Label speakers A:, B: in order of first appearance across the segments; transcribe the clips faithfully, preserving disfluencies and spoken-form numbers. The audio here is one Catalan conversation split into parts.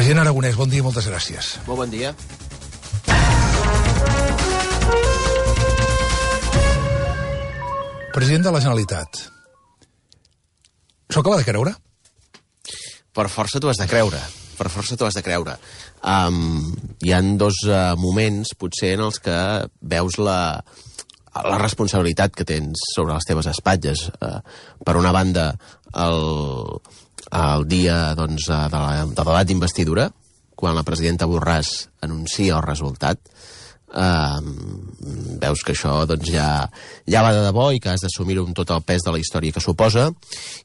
A: President Aragonès, bon dia i moltes gràcies.
B: Molt bon dia.
A: President de la Generalitat. S'ho acaba de creure?
B: Per força t'ho has de creure. Per força t'ho has de creure. Um, hi han dos uh, moments, potser, en els que veus la, la responsabilitat que tens sobre les teves espatlles. Uh, per una banda, el, el dia doncs, de la, de debat d'investidura, quan la presidenta Borràs anuncia el resultat, Uh, veus que això doncs, ja, ja va de debò i que has d'assumir-ho amb tot el pes de la història que suposa.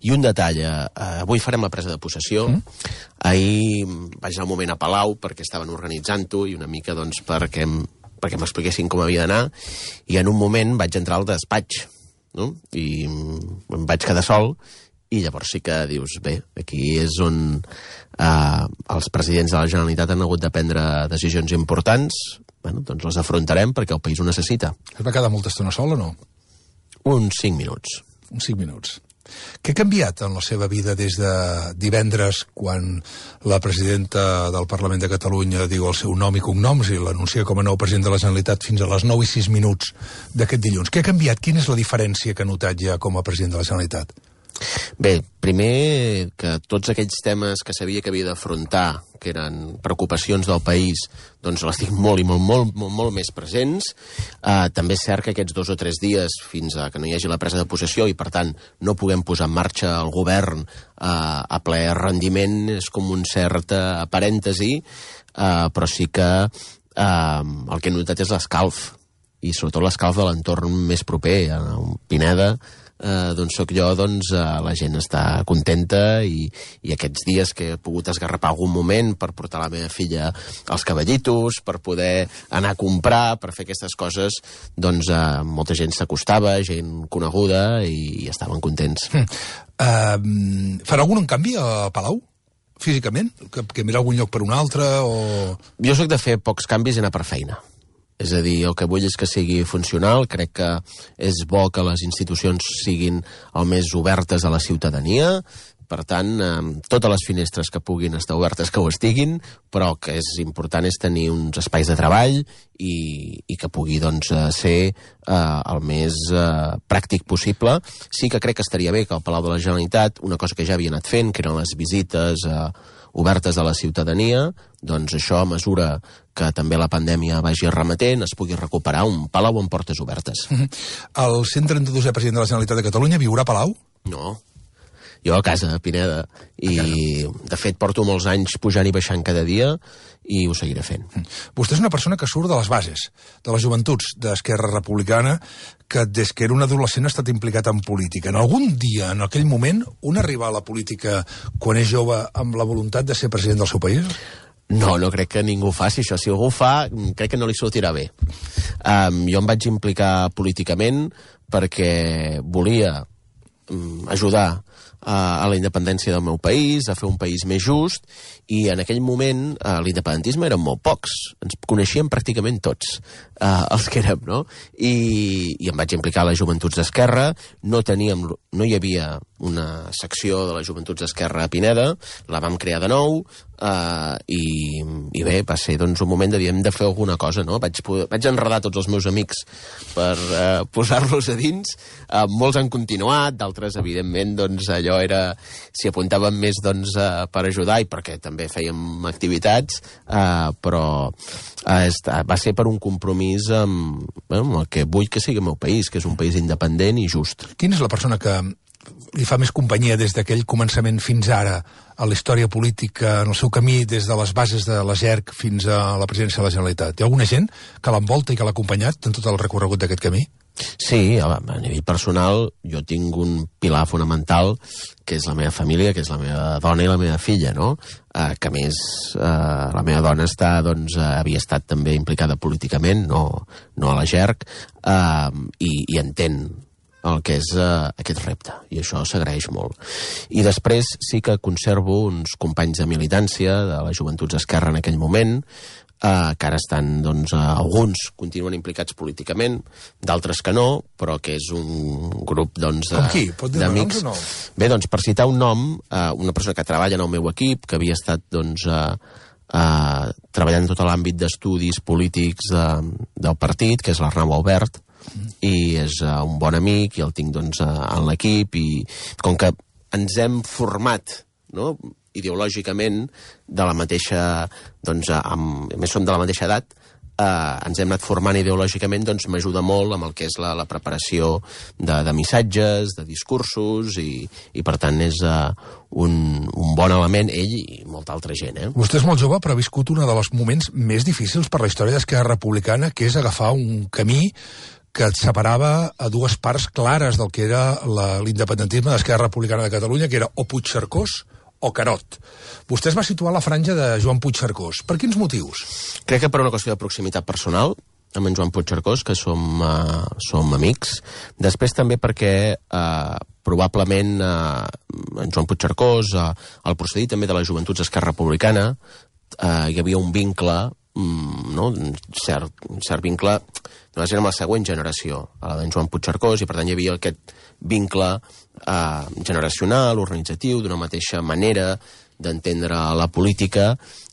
B: I un detall, uh, avui farem la presa de possessió. Mm. Ahir vaig anar un moment a Palau perquè estaven organitzant-ho i una mica doncs, perquè, perquè m'expliquessin com havia d'anar, i en un moment vaig entrar al despatx, no? I em vaig quedar sol, i llavors sí que dius, bé, aquí és on uh, els presidents de la Generalitat han hagut de prendre decisions importants. Bueno, doncs les afrontarem perquè el país ho necessita.
A: Es va quedar molta estona sol o no?
B: Uns cinc minuts.
A: Uns cinc minuts. Què ha canviat en la seva vida des de divendres, quan la presidenta del Parlament de Catalunya diu el seu nom i cognoms i l'anuncia com a nou president de la Generalitat, fins a les nou i sis minuts d'aquest dilluns? Què ha canviat? Quina és la diferència que ha notat ja com a president de la Generalitat?
B: Bé, primer que tots aquells temes que sabia que havia d'afrontar, que eren preocupacions del país, doncs les tinc molt i molt, molt, molt, molt més presents. Uh, també és cert que aquests dos o tres dies, fins a que no hi hagi la presa de possessió i, per tant, no puguem posar en marxa el govern uh, a ple rendiment, és com un cert uh, parèntesi, uh, però sí que uh, el que he notat és l'escalf, i sobretot l'escalf de l'entorn més proper, a Pineda. Uh, doncs soc jo, doncs uh, la gent està contenta i, i aquests dies que he pogut esgarrapar algun moment per portar la meva filla als cavallitos, per poder anar a comprar, per fer aquestes coses, doncs uh, molta gent s'acostava, gent coneguda, i, i estaven contents.
A: Mm. Uh, farà algun canvi a Palau? Físicament? Que, que mirar algun lloc per un altre? O...
B: Jo soc de fer pocs canvis i anar per feina. És a dir, el que vull és que sigui funcional. Crec que és bo que les institucions siguin el més obertes a la ciutadania. Per tant, eh, totes les finestres que puguin estar obertes que ho estiguin, però el que és important és tenir uns espais de treball i, i que pugui doncs, ser eh, el més eh, pràctic possible. Sí que crec que estaria bé que al Palau de la Generalitat, una cosa que ja havia anat fent, que eren les visites eh, obertes a la ciutadania, doncs això, a mesura que també la pandèmia vagi remetent, es pugui recuperar un Palau amb portes obertes.
A: Mm-hmm. El cent trenta-dosè president de la Generalitat de Catalunya viurà a Palau?
B: No. Jo a casa, a Pineda, i de fet porto molts anys pujant i baixant cada dia i ho seguiré fent.
A: Vostè és una persona que surt de les bases, de les joventuts d'Esquerra Republicana, que des que era un adolescent ha estat implicat en política. En algun dia, en aquell moment, un arriba a la política quan és jove amb la voluntat de ser president del seu país?
B: No, no crec que ningú faci això. Si algú ho fa, crec que no li sortirà bé. Um, jo em vaig implicar políticament perquè volia um, ajudar a la independència del meu país, a fer un país més just, i en aquell moment eh, l'independentisme eren molt pocs, ens coneixíem pràcticament tots, eh, els que érem, no? I, i em vaig implicar a les Joventuts d'Esquerra, no teníem, no hi havia una secció de les Joventuts d'Esquerra a Pineda, la vam crear de nou, eh, i, i bé, va ser doncs, un moment de dir, hem de fer alguna cosa, no? Vaig, vaig enredar tots els meus amics per eh, posar-los a dins, eh, molts han continuat, d'altres, evidentment, doncs allò era, s'hi apuntaven més doncs, eh, per ajudar i perquè també fèiem activitats, eh, però eh, va ser per un compromís amb, bueno, amb el que vull que sigui el meu país, que és un país independent i just.
A: Quina és la persona que li fa més companyia des d'aquell començament fins ara a la història política, en el seu camí des de les bases de la G E R C fins a la presidència de la Generalitat? Hi ha alguna gent que l'envolta i que l'ha acompanyat en tot el recorregut d'aquest camí?
B: Sí, a nivell personal jo tinc un pilar fonamental que és la meva família, que és la meva dona i la meva filla, no? Eh, que a més eh, la meva dona està, doncs, eh, havia estat també implicada políticament, no, no a la G E R C, eh, i, i entén el que és uh, aquest repte, i això s'agraeix molt. I després sí que conservo uns companys de militància de les Joventuts d'Esquerra en aquell moment, uh, que ara estan, doncs, uh, alguns continuen implicats políticament, d'altres que no, però que és un grup, doncs,
A: Com qui? Pot dir noms o no?
B: Bé, doncs, per citar un nom, uh, una persona que treballa en el meu equip, que havia estat, doncs, uh, eh, treballant en tot l'àmbit d'estudis polítics de, del partit, que és l'Arnau Albert, mm. i és uh, un bon amic, i el tinc doncs, uh, en l'equip, i com que ens hem format, no?, ideològicament de la mateixa, doncs, amb, a més som de la mateixa edat, eh, ens hem anat formant ideològicament, doncs m'ajuda molt amb el que és la, la preparació de, de missatges, de discursos, i, i per tant és eh, un, un bon element, ell i molta altra gent. Eh?
A: Vostè és molt jove, però ha viscut un dels moments més difícils per la història d'Esquerra Republicana, que és agafar un camí que et separava a dues parts clares del que era l'independentisme d'Esquerra Republicana de Catalunya, que era o Puigcercós o Carot. Vostè es va situar a la franja de Joan Puigcercós. Per quins motius?
B: Crec que per una qüestió de proximitat personal amb en Joan Puigcercós, que som, uh, som amics. Després també perquè uh, probablement uh, en Joan Puigcercós, uh, el procedir també de les joventuts d'Esquerra Republicana, uh, hi havia un vincle, um, no? un, cert, un cert vincle, només era amb la següent generació, a la d'en Joan Puigcercós, i per tant hi havia aquest vincle eh, generacional, organitzatiu, d'una mateixa manera d'entendre la política,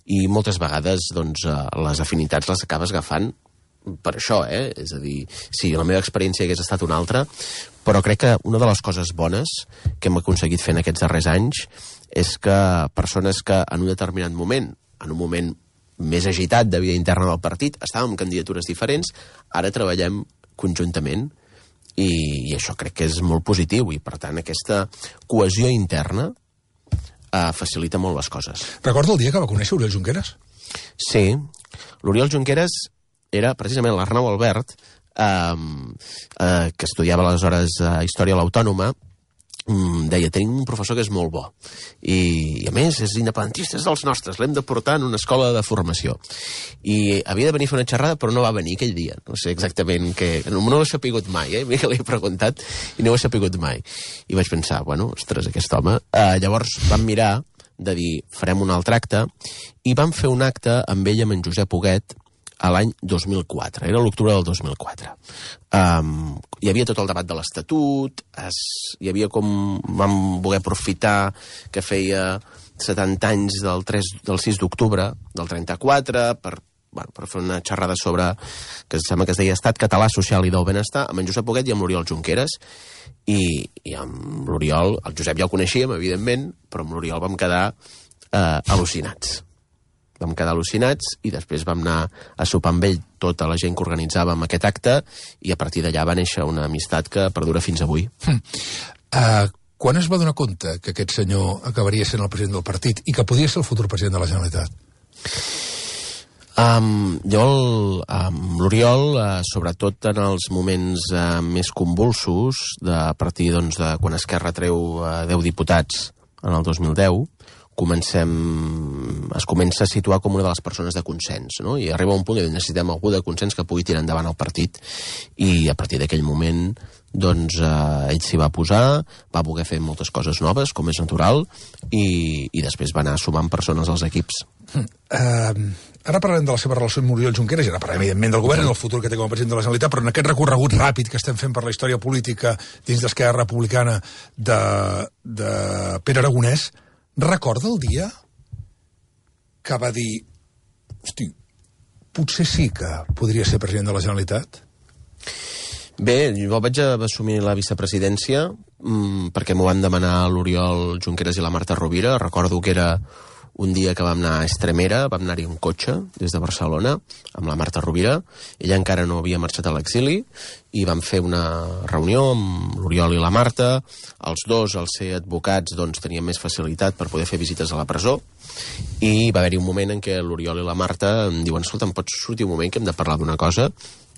B: i moltes vegades doncs, eh, les afinitats les acabes agafant per això, eh? És a dir, sí, la meva experiència hagués estat una altra, però crec que una de les coses bones que hem aconseguit fer en aquests darrers anys és que persones que en un determinat moment, en un moment més agitat de vida interna del partit, estàvem en candidatures diferents, ara treballem conjuntament, i, i això crec que és molt positiu, i per tant aquesta cohesió interna eh, facilita molt les coses.
A: Recorda el dia que va conèixer Oriol Junqueras?
B: Sí, l'Oriol Junqueras era precisament l'Arnau Albert, eh, eh, que estudiava aleshores eh, Història a l'Autònoma, deia, tenim un professor que és molt bo i, i a més és independentista, és dels nostres, l'hem de portar en una escola de formació, i havia de venir a fer una xerrada però no va venir aquell dia, no sé exactament què, no, no ho he sapigut mai, eh? Mira que l'he preguntat i no ho he sapigut mai, i vaig pensar, bueno, ostres, aquest home, eh, llavors vam mirar de dir, farem un altre acte, i vam fer un acte amb ell, amb en Josep Huguet, a l'any dos mil quatre, era l'octubre del dos mil quatre. Um, hi havia tot el debat de l'Estatut, es, hi havia com... vam voler aprofitar que feia setanta anys del, tres, del sis d'octubre del trenta-quatre per, bueno, per fer una xerrada sobre, que em sembla que es deia Estat Català Social i del Benestar, amb en Josep Huguet i amb l'Oriol Junqueras, i, i amb l'Oriol, el Josep ja el coneixíem, evidentment, però amb l'Oriol vam quedar eh, al·lucinats. Vam quedar al·lucinats i després vam anar a sopar amb ell tota la gent que organitzàvem aquest acte, i a partir d'allà va néixer una amistat que perdura fins avui.
A: Hm. Uh, quan es va donar compte que aquest senyor acabaria sent el president del partit i que podia ser el futur president de la Generalitat?
B: Um, jo, el, um, l'Oriol, uh, sobretot en els moments uh, més convulsos, de, a partir doncs, de quan Esquerra treu uh, deu diputats en el dos mil deu, comencem, es comença a situar com una de les persones de consens, no? I arriba un punt que necessitem algú de consens que pugui tirar endavant el partit, i a partir d'aquell moment doncs eh, ell s'hi va posar, va voler fer moltes coses noves, com és natural, i, i després va anar sumant persones als equips.
A: Uh, ara parlem de la seva relació amb Oriol Junqueras, i ara parlem evidentment del govern i del futur que té com a president de la Generalitat, però en aquest recorregut ràpid que estem fent per la història política dins d'Esquerra Republicana de, de Pere Aragonès, recorda el dia que va dir, hosti, potser sí que podria ser president de la Generalitat?
B: Bé, jo vaig assumir la vicepresidència mmm, perquè m'ho van demanar l'Oriol Junqueras i la Marta Rovira. Recordo que era un dia que vam anar a Estremera, vam anar-hi en cotxe des de Barcelona amb la Marta Rovira. Ella encara no havia marxat a l'exili i vam fer una reunió amb l'Oriol i la Marta. Els dos, al ser advocats, doncs, tenien més facilitat per poder fer visites a la presó, i va haver-hi un moment en què l'Oriol i la Marta em diuen, escolta, em pots sortir un moment que hem de parlar d'una cosa?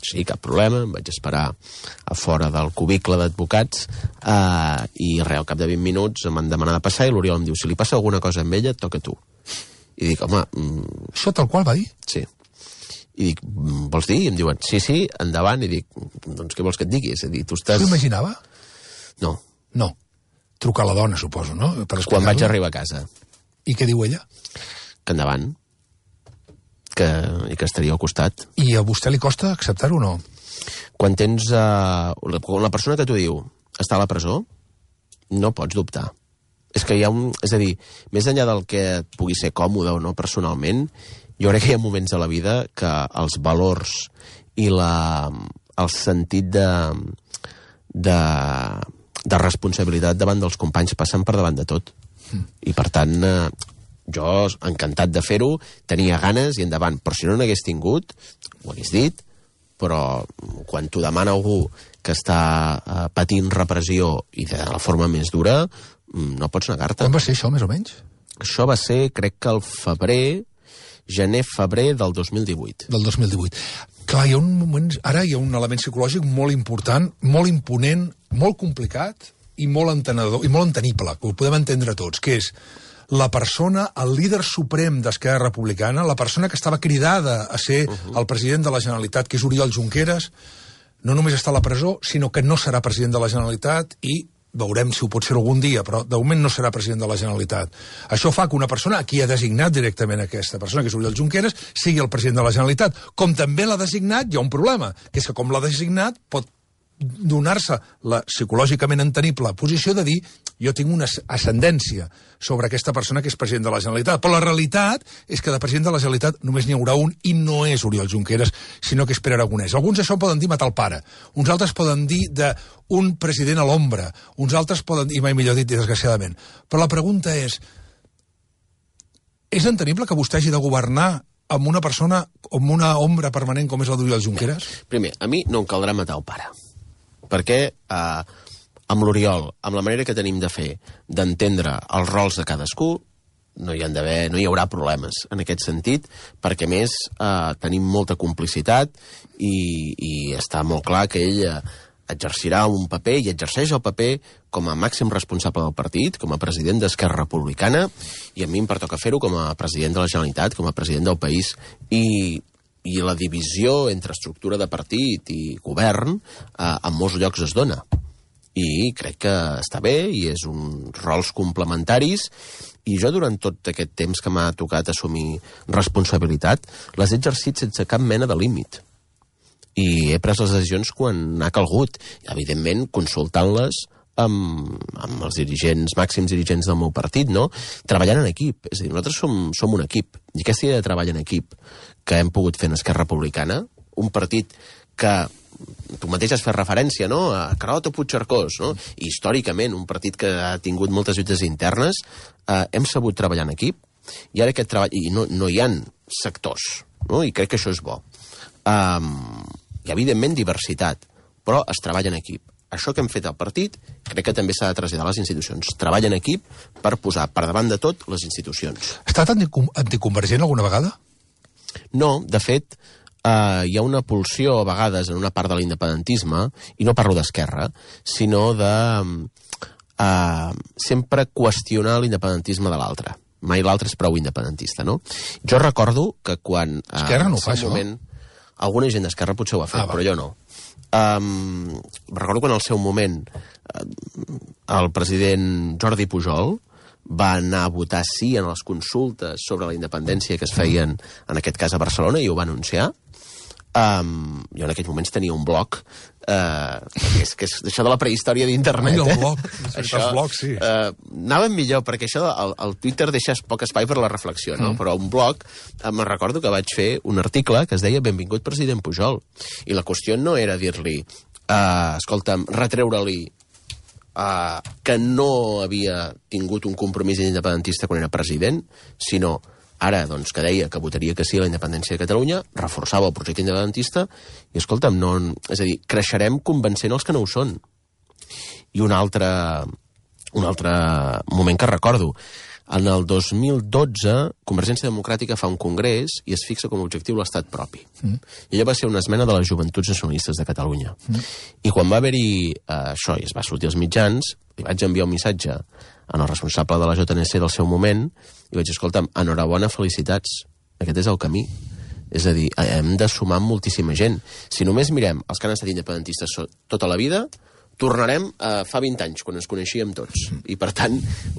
B: Sí, cap problema, em vaig esperar a fora del cubicle d'advocats eh, i res, al cap de vint minuts em van demanar de passar i l'Oriol em diu, si li passa alguna cosa amb ella, et toca a tu. I dic, home... Mm...
A: Això tal qual va dir?
B: Sí. I dic, vols dir? I em diuen, sí, sí, endavant. I dic, doncs què vols que et digui? És a dir, tu estàs...
A: S'ho imaginava?
B: No.
A: No. Trucar a la dona, suposo, no? Per
B: Quan vaig arribar a casa.
A: I què diu ella?
B: Que endavant. Que, i que estaria al costat.
A: I a vostè li costa acceptar-ho o no?
B: Quan tens... Uh, la, la persona que t'ho diu està a la presó, no pots dubtar. És que hi ha un... És a dir, més enllà del que et pugui ser còmode o no personalment, jo crec que hi ha moments a la vida que els valors i la, el sentit de, de, de responsabilitat davant dels companys passen per davant de tot. Mm. I per tant, eh, jo encantat de fer-ho, tenia ganes i endavant. Però si no n'hagués tingut, ho hagués dit, però quan t'ho demana algú que està eh, patint repressió i de la forma més dura, no pots negar-te.
A: Quan va ser això, més o menys?
B: Això va ser, crec que el febrer, gener-febrer del dos mil divuit.
A: Del dos mil divuit. Clar, hi ha un moment... Ara hi ha un element psicològic molt important, molt imponent, molt complicat i molt entenedor, i molt entenible, que ho podem entendre tots, que és la persona, el líder suprem d'Esquerra Republicana, la persona que estava cridada a ser uh -huh. el president de la Generalitat, que és Oriol Junqueras, no només està a la presó, sinó que no serà president de la Generalitat i veurem si ho pot ser algun dia, però de moment no serà president de la Generalitat. Això fa que una persona a qui ha designat directament aquesta persona, que és Oriol Junqueras, sigui el president de la Generalitat. Com també l'ha designat, hi ha un problema, que és que com l'ha designat pot donar-se la psicològicament entenible posició de dir jo tinc una ascendència sobre aquesta persona que és president de la Generalitat. Però la realitat és que de president de la Generalitat només n'hi haurà un i no és Oriol Junqueras, sinó que és Pere Aragonès. Alguns això poden dir matar el pare, uns altres poden dir d'un president a l'ombra, uns altres poden dir, i mai millor dit, desgraciadament. Però la pregunta és, és entenible que vostè hagi de governar amb una persona, amb una ombra permanent com és la d'Oriol Junqueras?
B: Primer, a mi no em caldrà matar el pare. Perquè eh, amb l'Oriol, amb la manera que tenim de fer, d'entendre els rols de cadascú, no hi han d'haver, no hi haurà problemes en aquest sentit, perquè més eh, tenim molta complicitat i, i està molt clar que ell eh, exercirà un paper i exerceix el paper com a màxim responsable del partit, com a president d'Esquerra Republicana, i a mi em pertoca fer-ho com a president de la Generalitat, com a president del país, i i la divisió entre estructura de partit i govern eh, en molts llocs es dona. I crec que està bé, i és uns rols complementaris, i jo durant tot aquest temps que m'ha tocat assumir responsabilitat, les he exercit sense cap mena de límit. I he pres les decisions quan ha calgut, i evidentment consultant-les amb, amb els dirigents, màxims dirigents del meu partit, no? Treballant en equip. És a dir, nosaltres som, som un equip, i aquesta idea de treball en equip que hem pogut fer en Esquerra Republicana, un partit que tu mateix has fet referència, no?, a Carod o Puigcercós, no? I històricament, un partit que ha tingut moltes lluites internes, eh, hem sabut treballar en equip, i ara aquest treball... I no, no hi ha sectors, no? I crec que això és bo. Um, hi ha, evidentment, diversitat, però es treballa en equip. Això que hem fet al partit, crec que també s'ha de traslladar a les institucions. Treballa en equip per posar per davant de tot les institucions.
A: Ha estat anticonvergent alguna vegada?
B: No, de fet, eh, hi ha una pulsió a vegades en una part de l'independentisme, i no parlo d'Esquerra, sinó de eh, sempre qüestionar l'independentisme de l'altre. Mai l'altre és prou independentista, no? Jo recordo que quan...
A: Eh, Esquerra no ho fa, això?
B: Moment, alguna gent d'Esquerra potser ho ha fet, ah, però jo no. Um, recordo quan al seu moment el president Jordi Pujol va anar a votar sí en les consultes sobre la independència que es feien, en aquest cas a Barcelona, i ho va anunciar. Um, jo en aquells moments tenia un blog, uh, que, és, que és això de la prehistòria d'internet.
A: Eh? El blog,
B: això,
A: els blogs, sí.
B: Uh, anàvem millor, perquè això, el, el Twitter deixa poc espai per la reflexió, no? Mm. Però un blog, uh, me'n recordo que vaig fer un article que es deia Benvingut president Pujol. I la qüestió no era dir-li, uh, escolta'm, retreure-li Uh, que no havia tingut un compromís independentista quan era president, sinó ara, doncs, que deia que votaria que sí a la independència de Catalunya, reforçava el projecte independentista, i, escolta'm, no, és a dir, creixerem convencent els que no ho són. I un altre, un altre moment que recordo, en el dos mil dotze, Convergència Democràtica fa un congrés i es fixa com a objectiu l'estat propi. Mm. I allò va ser una esmena de les Joventuts Nacionalistes de Catalunya. Mm. I quan va haver-hi eh, això, i es va sortir als mitjans, li vaig enviar un missatge al responsable de la J N C del seu moment, i vaig dir, escolta'm, enhorabona, felicitats, aquest és el camí. És a dir, hem de sumar amb moltíssima gent. Si només mirem els que han estat independentistes tota la vida, tornarem a fa vint anys, quan ens coneixíem tots. I, per tant,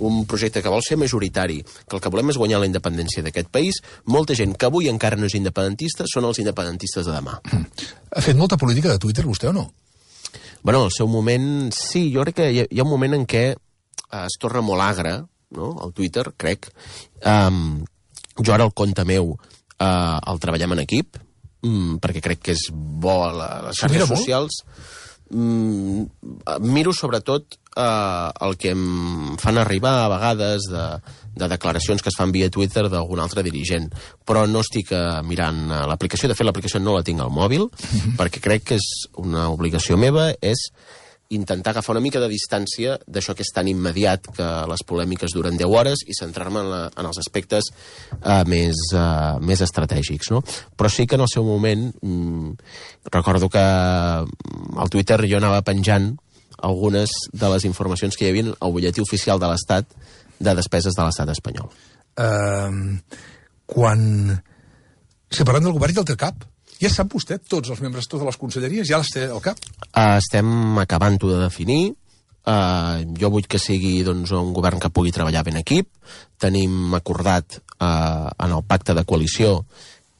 B: un projecte que vol ser majoritari, que el que volem és guanyar la independència d'aquest país. Molta gent que avui encara no és independentista són els independentistes de demà.
A: Ha fet molta política de Twitter, vostè, o no?
B: Bueno, al seu moment, sí. Jo crec que hi ha, hi ha un moment en què eh, es torna molt agre, no?, el Twitter, crec. Um, jo ara el compte meu eh, el treballem en equip, um, perquè crec que és bo a les xarxes socials. Um, miro sobretot eh, el que em fan arribar a vegades de, de declaracions que es fan via Twitter d'algun altre dirigent, però no estic uh, mirant uh, l'aplicació. De fet, l'aplicació no la tinc al mòbil, mm-hmm. perquè crec que és una obligació meva, és intentar agafar una mica de distància d'això que és tan immediat, que les polèmiques duren deu hores, i centrar-me en, la, en els aspectes uh, més, uh, més estratègics, no? Però sí que en el seu moment mm, recordo que al Twitter jo anava penjant algunes de les informacions que hi havia al butlletí oficial de l'Estat de despeses de l'Estat espanyol.
A: Uh, quan... Si parlem del govern i del té cap, ja sap vostè, tots els membres, totes les conselleries, ja les té al cap?
B: Uh, estem acabant-ho de definir. Uh, jo vull que sigui doncs, un govern que pugui treballar ben equip. Tenim acordat uh, en el pacte de coalició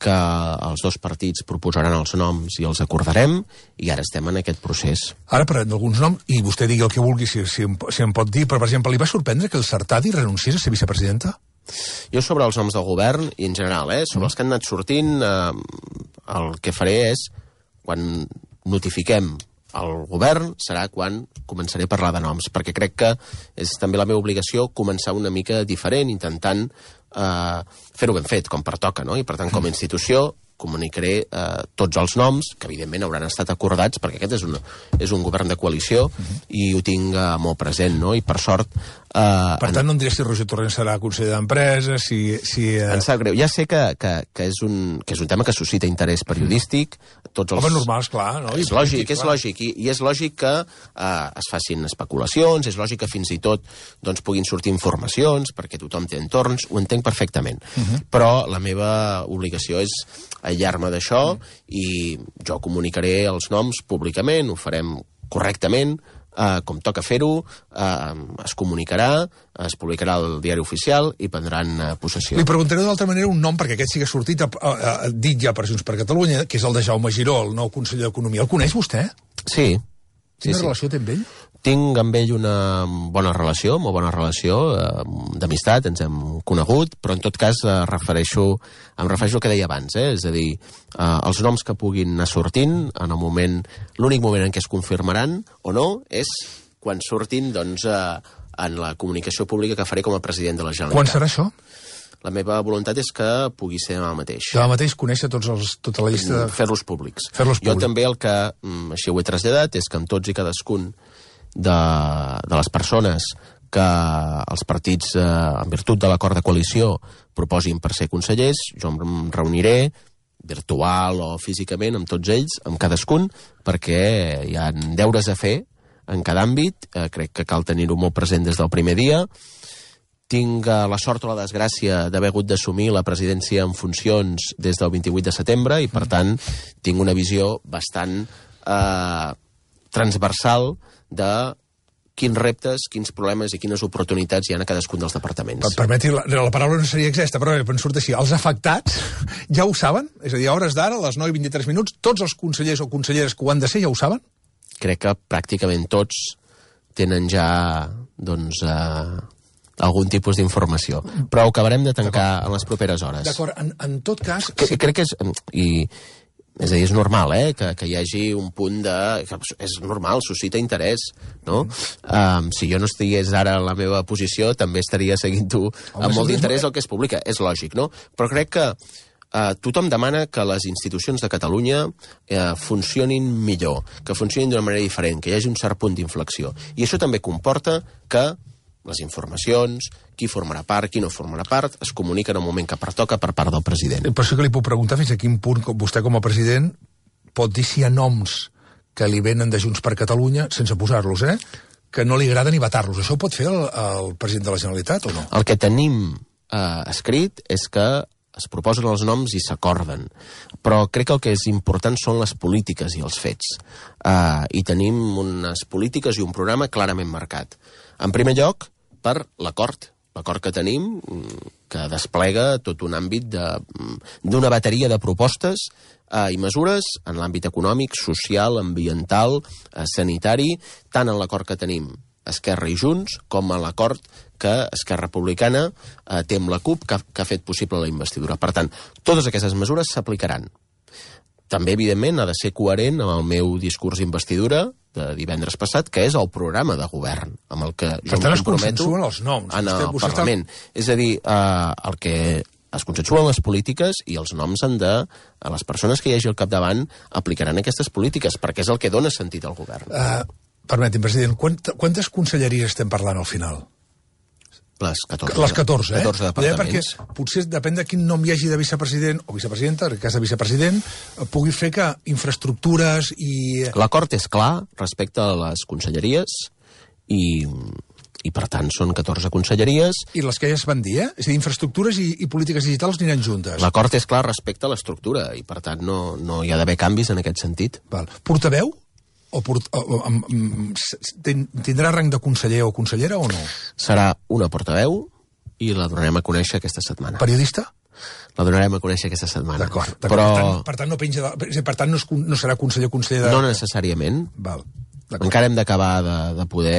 B: que els dos partits proposaran els noms i els acordarem, i ara estem en aquest procés.
A: Ara parlem d'alguns noms, i vostè digui el que vulgui, si, si, em, si em pot dir, però, per exemple, li va sorprendre que el Sartadi renunciés a ser vicepresidenta?
B: Jo sobre els noms del govern, i en general, eh, sobre mm. els que han anat sortint, eh, el que faré és, quan notifiquem el govern, serà quan començaré a parlar de noms, perquè crec que és també la meva obligació començar una mica diferent, intentant eh, fer-ho ben fet, com pertoca, no? I per tant, com a institució, comunicaré eh, tots els noms, que evidentment hauran estat acordats, perquè aquest és un, és un govern de coalició, uh-huh. i ho tinc eh, molt present, no? I per sort... Eh,
A: per tant, en... no em diré si Roger Torrent serà conseller d'Empresa, si... si eh...
B: Em sap greu. Ja sé que, que, que, és un, que és un tema que suscita interès periodístic. Tots els...
A: Home, normal, esclar, no?
B: És lògic, és lògic. I, i és lògic que eh, es facin especulacions, és lògic que fins i tot doncs, puguin sortir informacions, perquè tothom té entorns, ho entenc perfectament. Uh-huh. Però la meva obligació és aïllar-me d'això, uh-huh. i jo comunicaré els noms públicament, ho farem correctament, eh, com toca fer-ho, eh, es comunicarà, es publicarà al diari oficial i prendran eh, possessió.
A: Li preguntaré d'altra manera un nom, perquè aquest sí que ha sortit, a, a, a, dit ja per Junts per Catalunya, que és el de Jaume Giró, el nou conseller d'Economia. El coneix vostè?
B: Sí.
A: Quina
B: sí,
A: relació
B: sí.
A: té amb ell?
B: Tinc amb ell una bona relació, molt bona relació, eh, d'amistat, ens hem conegut, però en tot cas eh, refereixo, em refereixo al que deia abans, eh? És a dir, eh, els noms que puguin anar sortint, en el moment, l'únic moment en què es confirmaran o no, és quan surtin, doncs, eh, en la comunicació pública que faré com a president de la Generalitat.
A: Quan serà això?
B: La meva voluntat és que pugui ser demà mateix.
A: Demà mateix conèixer tots els, tota la llista... De...
B: Fer-los públics.
A: Fer-los públics.
B: Jo també el que, així ho he traslladat, és que amb tots i cadascun de, de les persones que els partits, eh, en virtut de l'acord de coalició, proposin per ser consellers, jo em reuniré virtual o físicament amb tots ells, amb cadascun, perquè hi ha deures a fer en cada àmbit, eh, crec que cal tenir-ho molt present des del primer dia. Tinc eh, la sort o la desgràcia d'haver hagut d'assumir la presidència en funcions des del vint-i-vuit de setembre i, per tant, tinc una visió bastant eh, transversal de quins reptes, quins problemes i quines oportunitats hi ha a cadascun dels departaments.
A: Per, permeti, la, la paraula no seria exacta, però em surt així. Els afectats ja ho saben? És a dir, a hores d'ara, a les nou i vint-i-tres minuts, tots els consellers o conselleres que ho han de ser ja ho saben?
B: Crec que pràcticament tots tenen ja, doncs... Eh, algun tipus d'informació. Però ho acabarem de tancar en les properes hores.
A: D'acord, en, en tot cas...
B: Que, sí. Crec que és... I, és a dir, és normal, eh?, que, que hi hagi un punt de... Que és normal, suscita interès, no? Mm. Um, si jo no estigués ara en la meva posició, també estaria seguint-ho amb molt d'interès el que es publica. És lògic, no? Però crec que uh, tothom demana que les institucions de Catalunya uh, funcionin millor, que funcionin d'una manera diferent, que hi hagi un cert punt d'inflexió. I això també comporta que les informacions, qui formarà part, qui no formarà part, es comuniquen en el moment que pertoca per part del president.
A: Per això que li puc preguntar fins a quin punt vostè com a president pot dir si hi ha noms que li venen de Junts per Catalunya, sense posar-los, eh?, que no li agrada ni vetar-los. Això ho pot fer el, el president de la Generalitat o no?
B: El que tenim eh, escrit és que es proposen els noms i s'acorden. Però crec que el que és important són les polítiques i els fets. Eh, I tenim unes polítiques i un programa clarament marcat. En primer lloc, per l'acord. L'acord que tenim, que desplega tot un àmbit d'una bateria de propostes eh, i mesures en l'àmbit econòmic, social, ambiental, eh, sanitari, tant en l'acord que tenim Esquerra i Junts, com a l'acord que Esquerra Republicana eh, té amb la CUP, que, que ha fet possible la investidura. Per tant, totes aquestes mesures s'aplicaran. També, evidentment, ha de ser coherent amb el meu discurs d'investidura de divendres passat, que és el programa de govern, amb el que jo em comprometo
A: els noms.
B: en el
A: vostè, vostè
B: Parlament. Està... És a dir, eh, el que es consensuen les polítiques i els noms han de... A les persones que hi hagi al capdavant aplicaran aquestes polítiques, perquè és el que dona sentit al govern.
A: Uh, permeti'm, president, quant, quantes conselleries estem parlant al final?
B: Les catorze.
A: Les catorze, eh?
B: catorze departaments.
A: Perquè potser depèn de quin nom hi hagi de vicepresident o vicepresidenta, en el cas de vicepresident, pugui fer que infraestructures i...
B: L'acord és clar respecte a les conselleries i, i per tant, són catorze conselleries.
A: I les que ja es van dir, eh? És a dir, infraestructures i, i polítiques digitals aniran juntes.
B: L'acord és clar respecte a l'estructura i, per tant, no, no hi ha d'haver canvis en aquest sentit.
A: Val. Portaveu? O, port, o, o, o tindrà rang de conseller o consellera o no?
B: Serà una portaveu i la donarem a conèixer aquesta setmana.
A: Periodista?
B: La donarem a conèixer aquesta setmana.
A: D'acord.
B: Però...
A: Per tant, per tant, no, penja de, per tant no, es, no serà conseller o conseller de...
B: No necessàriament.
A: Val.
B: Encara hem d'acabar de, de poder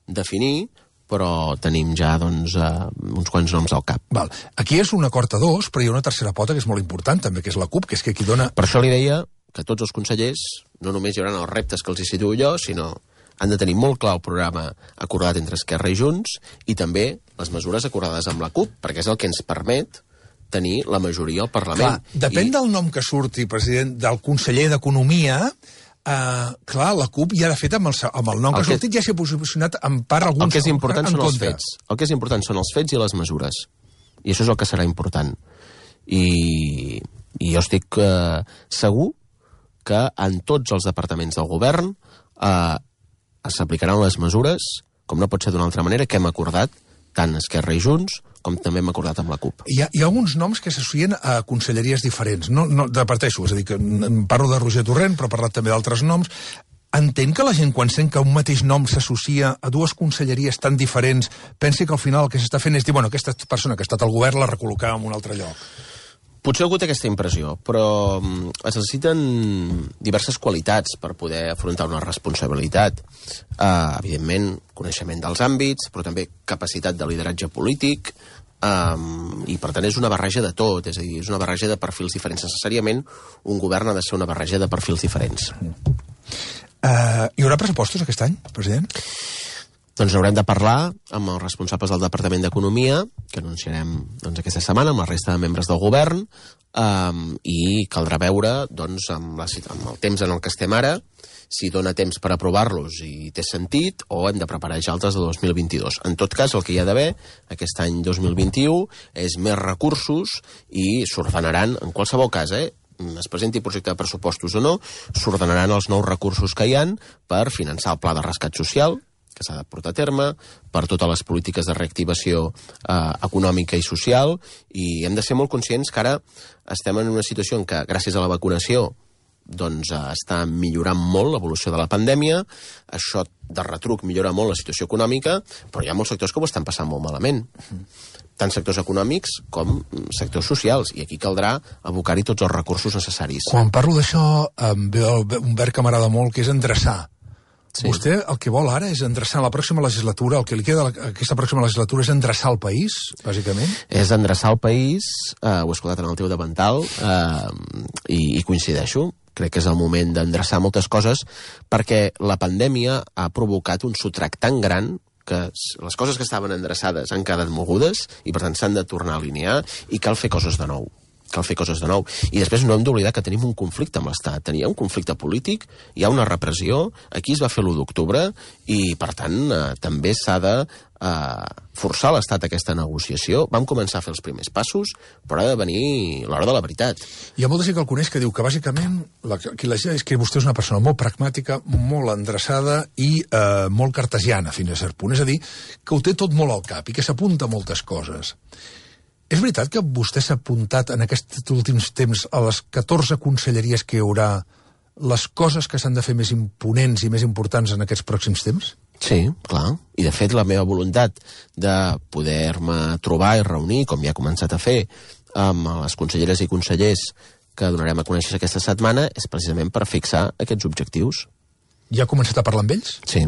B: definir, però tenim ja doncs, uh, uns quants noms al cap.
A: Val. Aquí és un acord a dos, però hi ha una tercera pota que és molt important, també, que és la CUP, que és que qui dona...
B: Per això li deia que tots els consellers no només hi haurà els reptes que els hi situo jo, sinó han de tenir molt clar el programa acordat entre Esquerra i Junts i també les mesures acordades amb la CUP, perquè és el que ens permet tenir la majoria al Parlament.
A: Clar, depèn I... del nom que surti, president, del conseller d'Economia, eh, clar, la CUP ja de fet amb el, amb el nom el que ha sortit que... ja s'ha posicionat en part alguns...
B: El que és important
A: en
B: són
A: contra.
B: els fets. El que és important són els fets i les mesures. I això és el que serà important. I, i jo estic eh, segur que en tots els departaments del govern eh, s'aplicaran les mesures, com no pot ser d'una altra manera, que hem acordat tant Esquerra i Junts, com també hem acordat amb la CUP.
A: Hi ha, hi ha alguns noms que s'associen a conselleries diferents. No, no departeixo, és a dir, que parlo de Roger Torrent, però he parlat també d'altres noms. Entenc que la gent, quan sent que un mateix nom s'associa a dues conselleries tan diferents, pensi que al final el que s'està fent és dir, bueno, aquesta persona que ha estat al govern la recol·locava en un altre lloc.
B: Potser algú té aquesta impressió, però es necessiten diverses qualitats per poder afrontar una responsabilitat. Uh, evidentment, coneixement dels àmbits, però també capacitat de lideratge polític, um, i per tant és una barreja de tot, és a dir, és una barreja de perfils diferents. Necessàriament un govern ha de ser una barreja de perfils diferents.
A: Uh, hi haurà pressupostos aquest any, president?
B: Doncs haurem de parlar amb els responsables del Departament d'Economia, que anunciarem doncs, aquesta setmana amb la resta de membres del govern, um, i caldrà veure doncs, amb, la, amb el temps en el que estem ara, si dona temps per aprovar-los i té sentit, o hem de preparar ja altres de dos mil vint-i-dos. En tot cas, el que hi ha d'haver aquest any dos mil vint-i-u és més recursos i s'ordenaran, en qualsevol cas, eh, es presenti projecte de pressupostos o no, s'ordenaran els nous recursos que hi han per finançar el pla de rescat social, que s'ha de portar a terme, per totes les polítiques de reactivació eh, econòmica i social, i hem de ser molt conscients que ara estem en una situació en què, gràcies a la vacunació, doncs eh, està millorant molt l'evolució de la pandèmia, això de retruc millora molt la situació econòmica, però hi ha molts sectors que ho estan passant molt malament. Tant sectors econòmics com sectors socials, i aquí caldrà abocar-hi tots els recursos necessaris.
A: Quan parlo d'això, em ve un verb que m'agrada molt, que és endreçar. Sí. Vostè el que vol ara és endreçar la pròxima legislatura, el que li queda aquesta pròxima legislatura és endreçar el país, bàsicament?
B: És endreçar el país, eh, ho he escoltat en el teu davantal, eh, i, i coincideixo. Crec que és el moment d'endreçar moltes coses, perquè la pandèmia ha provocat un sotrac tan gran que les coses que estaven endreçades han quedat mogudes i per tant s'han de tornar a alinear i cal fer coses de nou. Cal fer coses de nou. I després no hem d'oblidar que tenim un conflicte amb l'Estat. Hi ha un conflicte polític, hi ha una repressió, aquí es va fer l'u d'octubre i, per tant, eh, també s'ha de eh, forçar l'Estat a aquesta negociació. Vam començar a fer els primers passos, però ha de venir l'hora de la veritat.
A: Hi ha molta gent que el coneix que diu que, bàsicament, la, que la gent és que vostè és una persona molt pragmàtica, molt endreçada i eh, molt cartesiana, fins a cert punt. És a dir, que ho té tot molt al cap i que s'apunta a moltes coses. És veritat que vostè s'ha apuntat en aquests últims temps a les catorze conselleries que hi haurà les coses que s'han de fer més imponents i més importants en aquests pròxims temps?
B: Sí, clar. I, de fet, la meva voluntat de poder-me trobar i reunir, com ja he començat a fer, amb les conselleres i consellers que donarem a conèixer aquesta setmana, és precisament per fixar aquests objectius.
A: Ja ha començat a parlar amb ells?
B: Sí.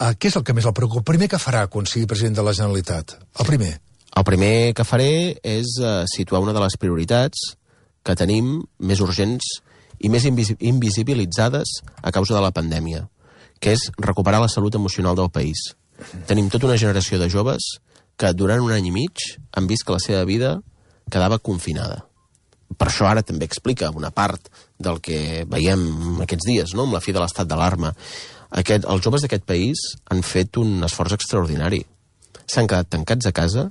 A: Uh, què és el que més el preocupa? El primer que farà quan sigui president de la Generalitat? El primer?
B: El primer que faré és uh, situar una de les prioritats que tenim més urgents i més invis invisibilitzades a causa de la pandèmia, que és recuperar la salut emocional del país. Tenim tota una generació de joves que durant un any i mig han vist que la seva vida quedava confinada. Per això ara també explica una part del que veiem aquests dies, no?, amb la fi de l'estat d'alarma. Aquest, els joves d'aquest país han fet un esforç extraordinari. S'han quedat tancats a casa,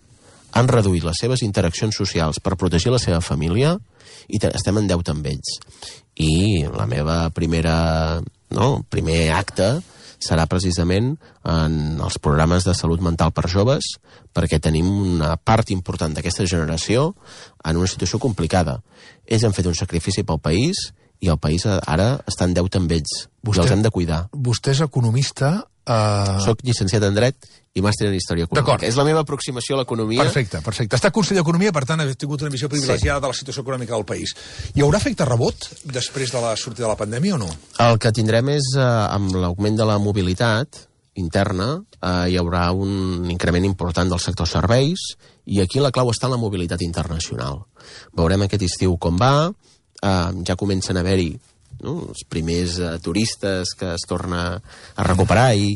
B: han reduït les seves interaccions socials per protegir la seva família i estem en deute amb ells. I la meva primera, no, primer acte serà precisament en els programes de salut mental per joves, perquè tenim una part important d'aquesta generació en una situació complicada. Ells han fet un sacrifici pel país i el país ara està en deute amb ells. Vostè, i els hem de cuidar.
A: Vostè és economista... Uh...
B: Soc llicenciat en Dret i màster en Història Econòmica. És la meva aproximació a l'economia.
A: Perfecte, perfecte. Està conseller d'Economia, per tant, ha tingut una visió privilegiada sí. de la situació econòmica del país. Hi haurà efecte rebot després de la sortida de la pandèmia o no?
B: El que tindrem és, eh, amb l'augment de la mobilitat interna, eh, hi haurà un increment important del sector serveis i aquí la clau està en la mobilitat internacional. Veurem aquest estiu com va, eh, ja comencen a haver-hi no? els primers uh, turistes que es torna a recuperar i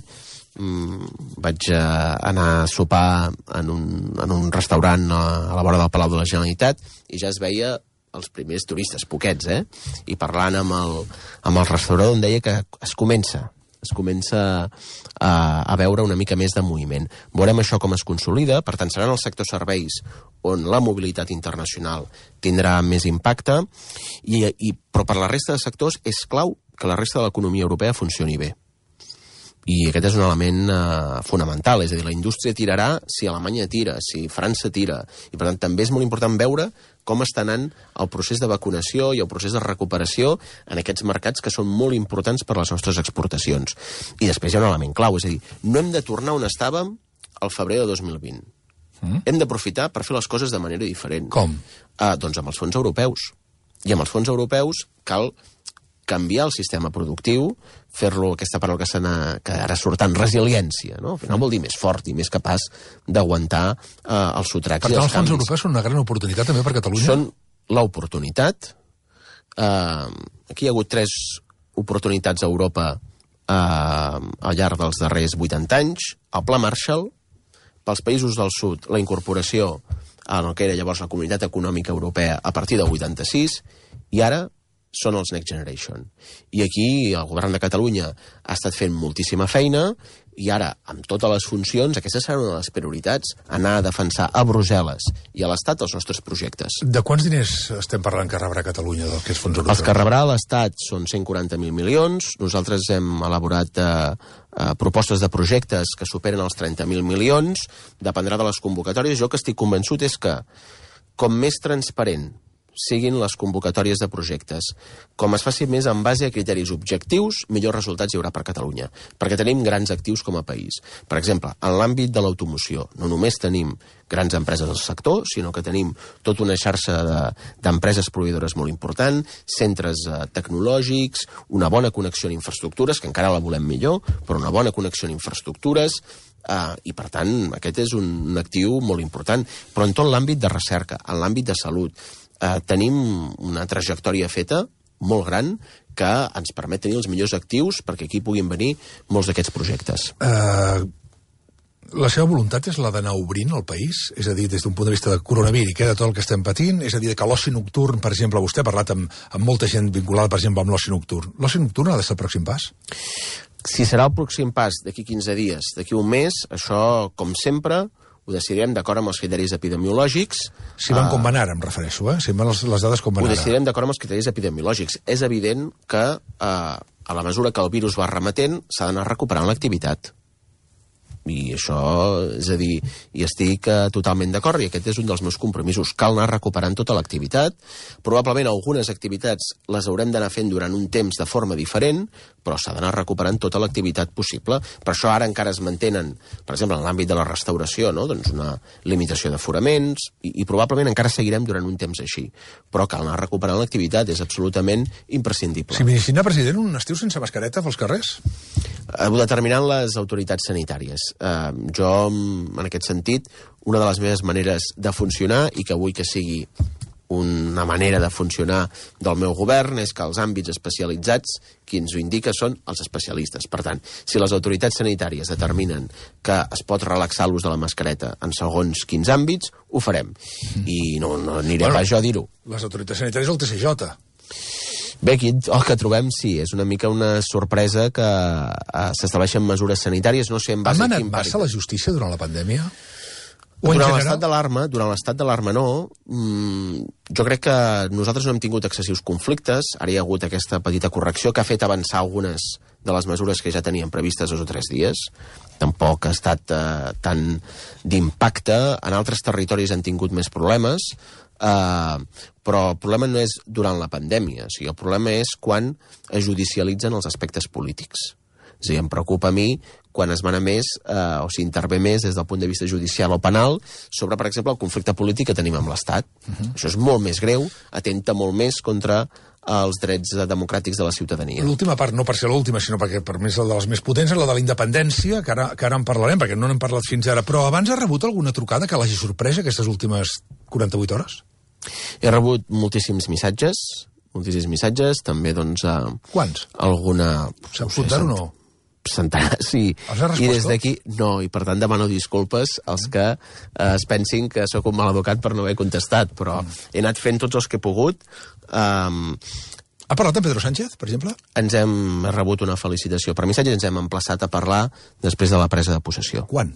B: mm, vaig uh, anar a sopar en un, en un restaurant a, a la vora del Palau de la Generalitat i ja es veia els primers turistes, poquets, eh? I parlant amb el, amb el restaurador em deia que es comença, es comença a, a veure una mica més de moviment. Veurem això com es consolida, per tant seran els sectors serveis on la mobilitat internacional tindrà més impacte, i, i, però per la resta de sectors és clau que la resta de l'economia europea funcioni bé. I aquest és un element eh, fonamental, és a dir, la indústria tirarà si Alemanya tira, si França tira, i per tant també és molt important veure com està anant el procés de vacunació i el procés de recuperació en aquests mercats que són molt importants per les nostres exportacions. I després hi ha un element clau, és a dir, no hem de tornar on estàvem al febrer de dos mil vint. Mm? Hem d'aprofitar per fer les coses de manera diferent.
A: Com?
B: Uh, doncs amb els fons europeus. I amb els fons europeus cal canviar el sistema productiu, fer-lo, aquesta paraula que, que ara surt tant, resiliència, no? Al final vol dir més fort i més capaç d'aguantar eh, els sotracs i els canvis.
A: Per tant, els fons europeus són una gran oportunitat també per Catalunya?
B: Són l'oportunitat. Eh, aquí hi ha hagut tres oportunitats a Europa eh, al llarg dels darrers vuitanta anys. El Pla Marshall, pels països del sud, la incorporació en el que era llavors la Comunitat Econòmica Europea a partir del vuitanta-sis, i ara són els Next Generation. I aquí el govern de Catalunya ha estat fent moltíssima feina i ara, amb totes les funcions, aquesta serà una de les prioritats, anar a defensar a Brussel·les i a l'Estat els nostres projectes.
A: De quants diners estem parlant que rebrà Catalunya del que és fons europeus?
B: Els que rebrà l'Estat són cent quaranta mil milions. Nosaltres hem elaborat eh, eh, propostes de projectes que superen els trenta mil milions. Dependrà de les convocatòries. Jo que estic convençut és que, com més transparent siguin les convocatòries de projectes, com es faci més en base a criteris objectius, millors resultats hi haurà per Catalunya, perquè tenim grans actius com a país. Per exemple, en l'àmbit de l'automoció, no només tenim grans empreses del sector, sinó que tenim tota una xarxa d'empreses de, proveïdores molt important, centres eh, tecnològics, una bona connexió en infraestructures, que encara la volem millor, però una bona connexió en infraestructures, Uh, i per tant aquest és un, un actiu molt important, però en tot l'àmbit de recerca, en l'àmbit de salut uh, tenim una trajectòria feta molt gran que ens permet tenir els millors actius perquè aquí puguin venir molts d'aquests projectes.
A: Uh, la seva voluntat és la d'anar obrint el país? És a dir, des d'un punt de vista de coronavirus i queda tot el que estem patint? És a dir, que l'oci nocturn, per exemple, vostè ha parlat amb, amb molta gent vinculada, per exemple, amb l'oci nocturn. L'oci nocturn ha de ser el pròxim pas?
B: Si serà el pròxim pas d'aquí quinze dies, d'aquí un mes, això, com sempre, ho decidirem d'acord amb els criteris epidemiològics.
A: Si van com van ara, em refereixo, eh? Si van les, les dades com van
B: ara. Ho
A: ara.
B: decidirem d'acord amb els criteris epidemiològics. És evident que, eh, a la mesura que el virus va remetent, s'ha d'anar recuperant l'activitat. I això, és a dir, hi estic uh, totalment d'acord, i aquest és un dels meus compromisos. Cal anar recuperant tota l'activitat. Probablement algunes activitats les haurem d'anar fent durant un temps de forma diferent, però s'ha d'anar recuperant tota l'activitat possible. Per això ara encara es mantenen, per exemple, en l'àmbit de la restauració, no? Doncs una limitació d'aforaments, i, i probablement encara seguirem durant un temps així. Però cal anar recuperant l'activitat, és absolutament imprescindible.
A: Si m'iniciïna, president, un estiu sense mascareta pels carrers?
B: Ho determinan les autoritats sanitàries. Uh, jo, en aquest sentit, una de les meves maneres de funcionar, i que vull que sigui una manera de funcionar del meu govern, és que els àmbits especialitzats, qui ens ho indica són els especialistes. Per tant, si les autoritats sanitàries determinen que es pot relaxar l'ús de la mascareta en segons quins àmbits, ho farem. Mm. I no, no aniré bueno, pas jo a dir-ho.
A: Les autoritats sanitàries el T C J.
B: Bé, aquí el que trobem, sí, és una mica una sorpresa que uh, s'estableixen mesures sanitàries, no sé en base a quin...
A: Han manat massa la justícia durant la pandèmia?
B: Durant l'estat d'alarma, durant l'estat d'alarma no. Mm, jo crec que nosaltres no hem tingut excessius conflictes. Ara hi ha hagut aquesta petita correcció que ha fet avançar algunes de les mesures que ja teníem previstes dos o tres dies. Tampoc ha estat eh, tan d'impacte. En altres territoris han tingut més problemes. Uh, però el problema no és durant la pandèmia. O sigui, el problema és quan es judicialitzen els aspectes polítics. És a dir, em preocupa a mi quan es mana més, eh, o s'intervé més des del punt de vista judicial o penal sobre, per exemple, el conflicte polític que tenim amb l'Estat. Uh-huh. Això és molt més greu, atenta molt més contra els drets democràtics de la ciutadania.
A: L'última part, no per ser l'última, sinó perquè per més la de les més potents, és la de la independència, que ara, que ara en parlarem, perquè no n'hem parlat fins ara. Però abans ha rebut alguna trucada que l'hagi sorprès aquestes últimes quaranta-vuit hores?
B: He rebut moltíssims missatges, moltíssims missatges, també, doncs... Eh,
A: Quants?
B: Alguna...
A: Saps comptar o no?
B: Centenars, sí. I des d'aquí, no, i per tant demano disculpes als que eh, es pensin que sóc un mal educat per no haver contestat, però mm. he anat fent tots els que he pogut. Um,
A: ha parlat amb Pedro Sánchez, per exemple?
B: Ens hem rebut una felicitació per missatge i ens hem emplaçat a parlar després de la presa de possessió.
A: Quan?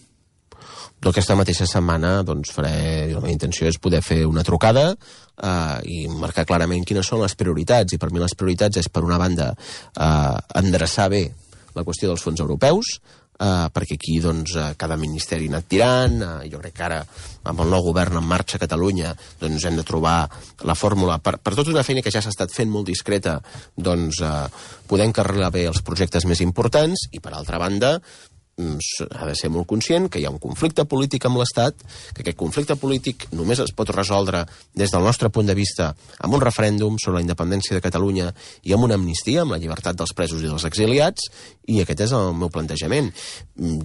B: Aquesta mateixa setmana, doncs, faré... La meva intenció és poder fer una trucada eh, i marcar clarament quines són les prioritats, i per mi les prioritats és, per una banda, eh, endreçar bé la qüestió dels fons europeus, eh, perquè aquí doncs, cada ministeri ha anat tirant, eh, jo crec que ara amb el nou govern en marxa a Catalunya doncs hem de trobar la fórmula per, per tota una feina que ja s'ha estat fent molt discreta, doncs eh, poder encarrilar bé els projectes més importants, i per altra banda ha de ser molt conscient que hi ha un conflicte polític amb l'Estat, que aquest conflicte polític només es pot resoldre des del nostre punt de vista amb un referèndum sobre la independència de Catalunya i amb una amnistia, amb la llibertat dels presos i dels exiliats, i aquest és el meu plantejament.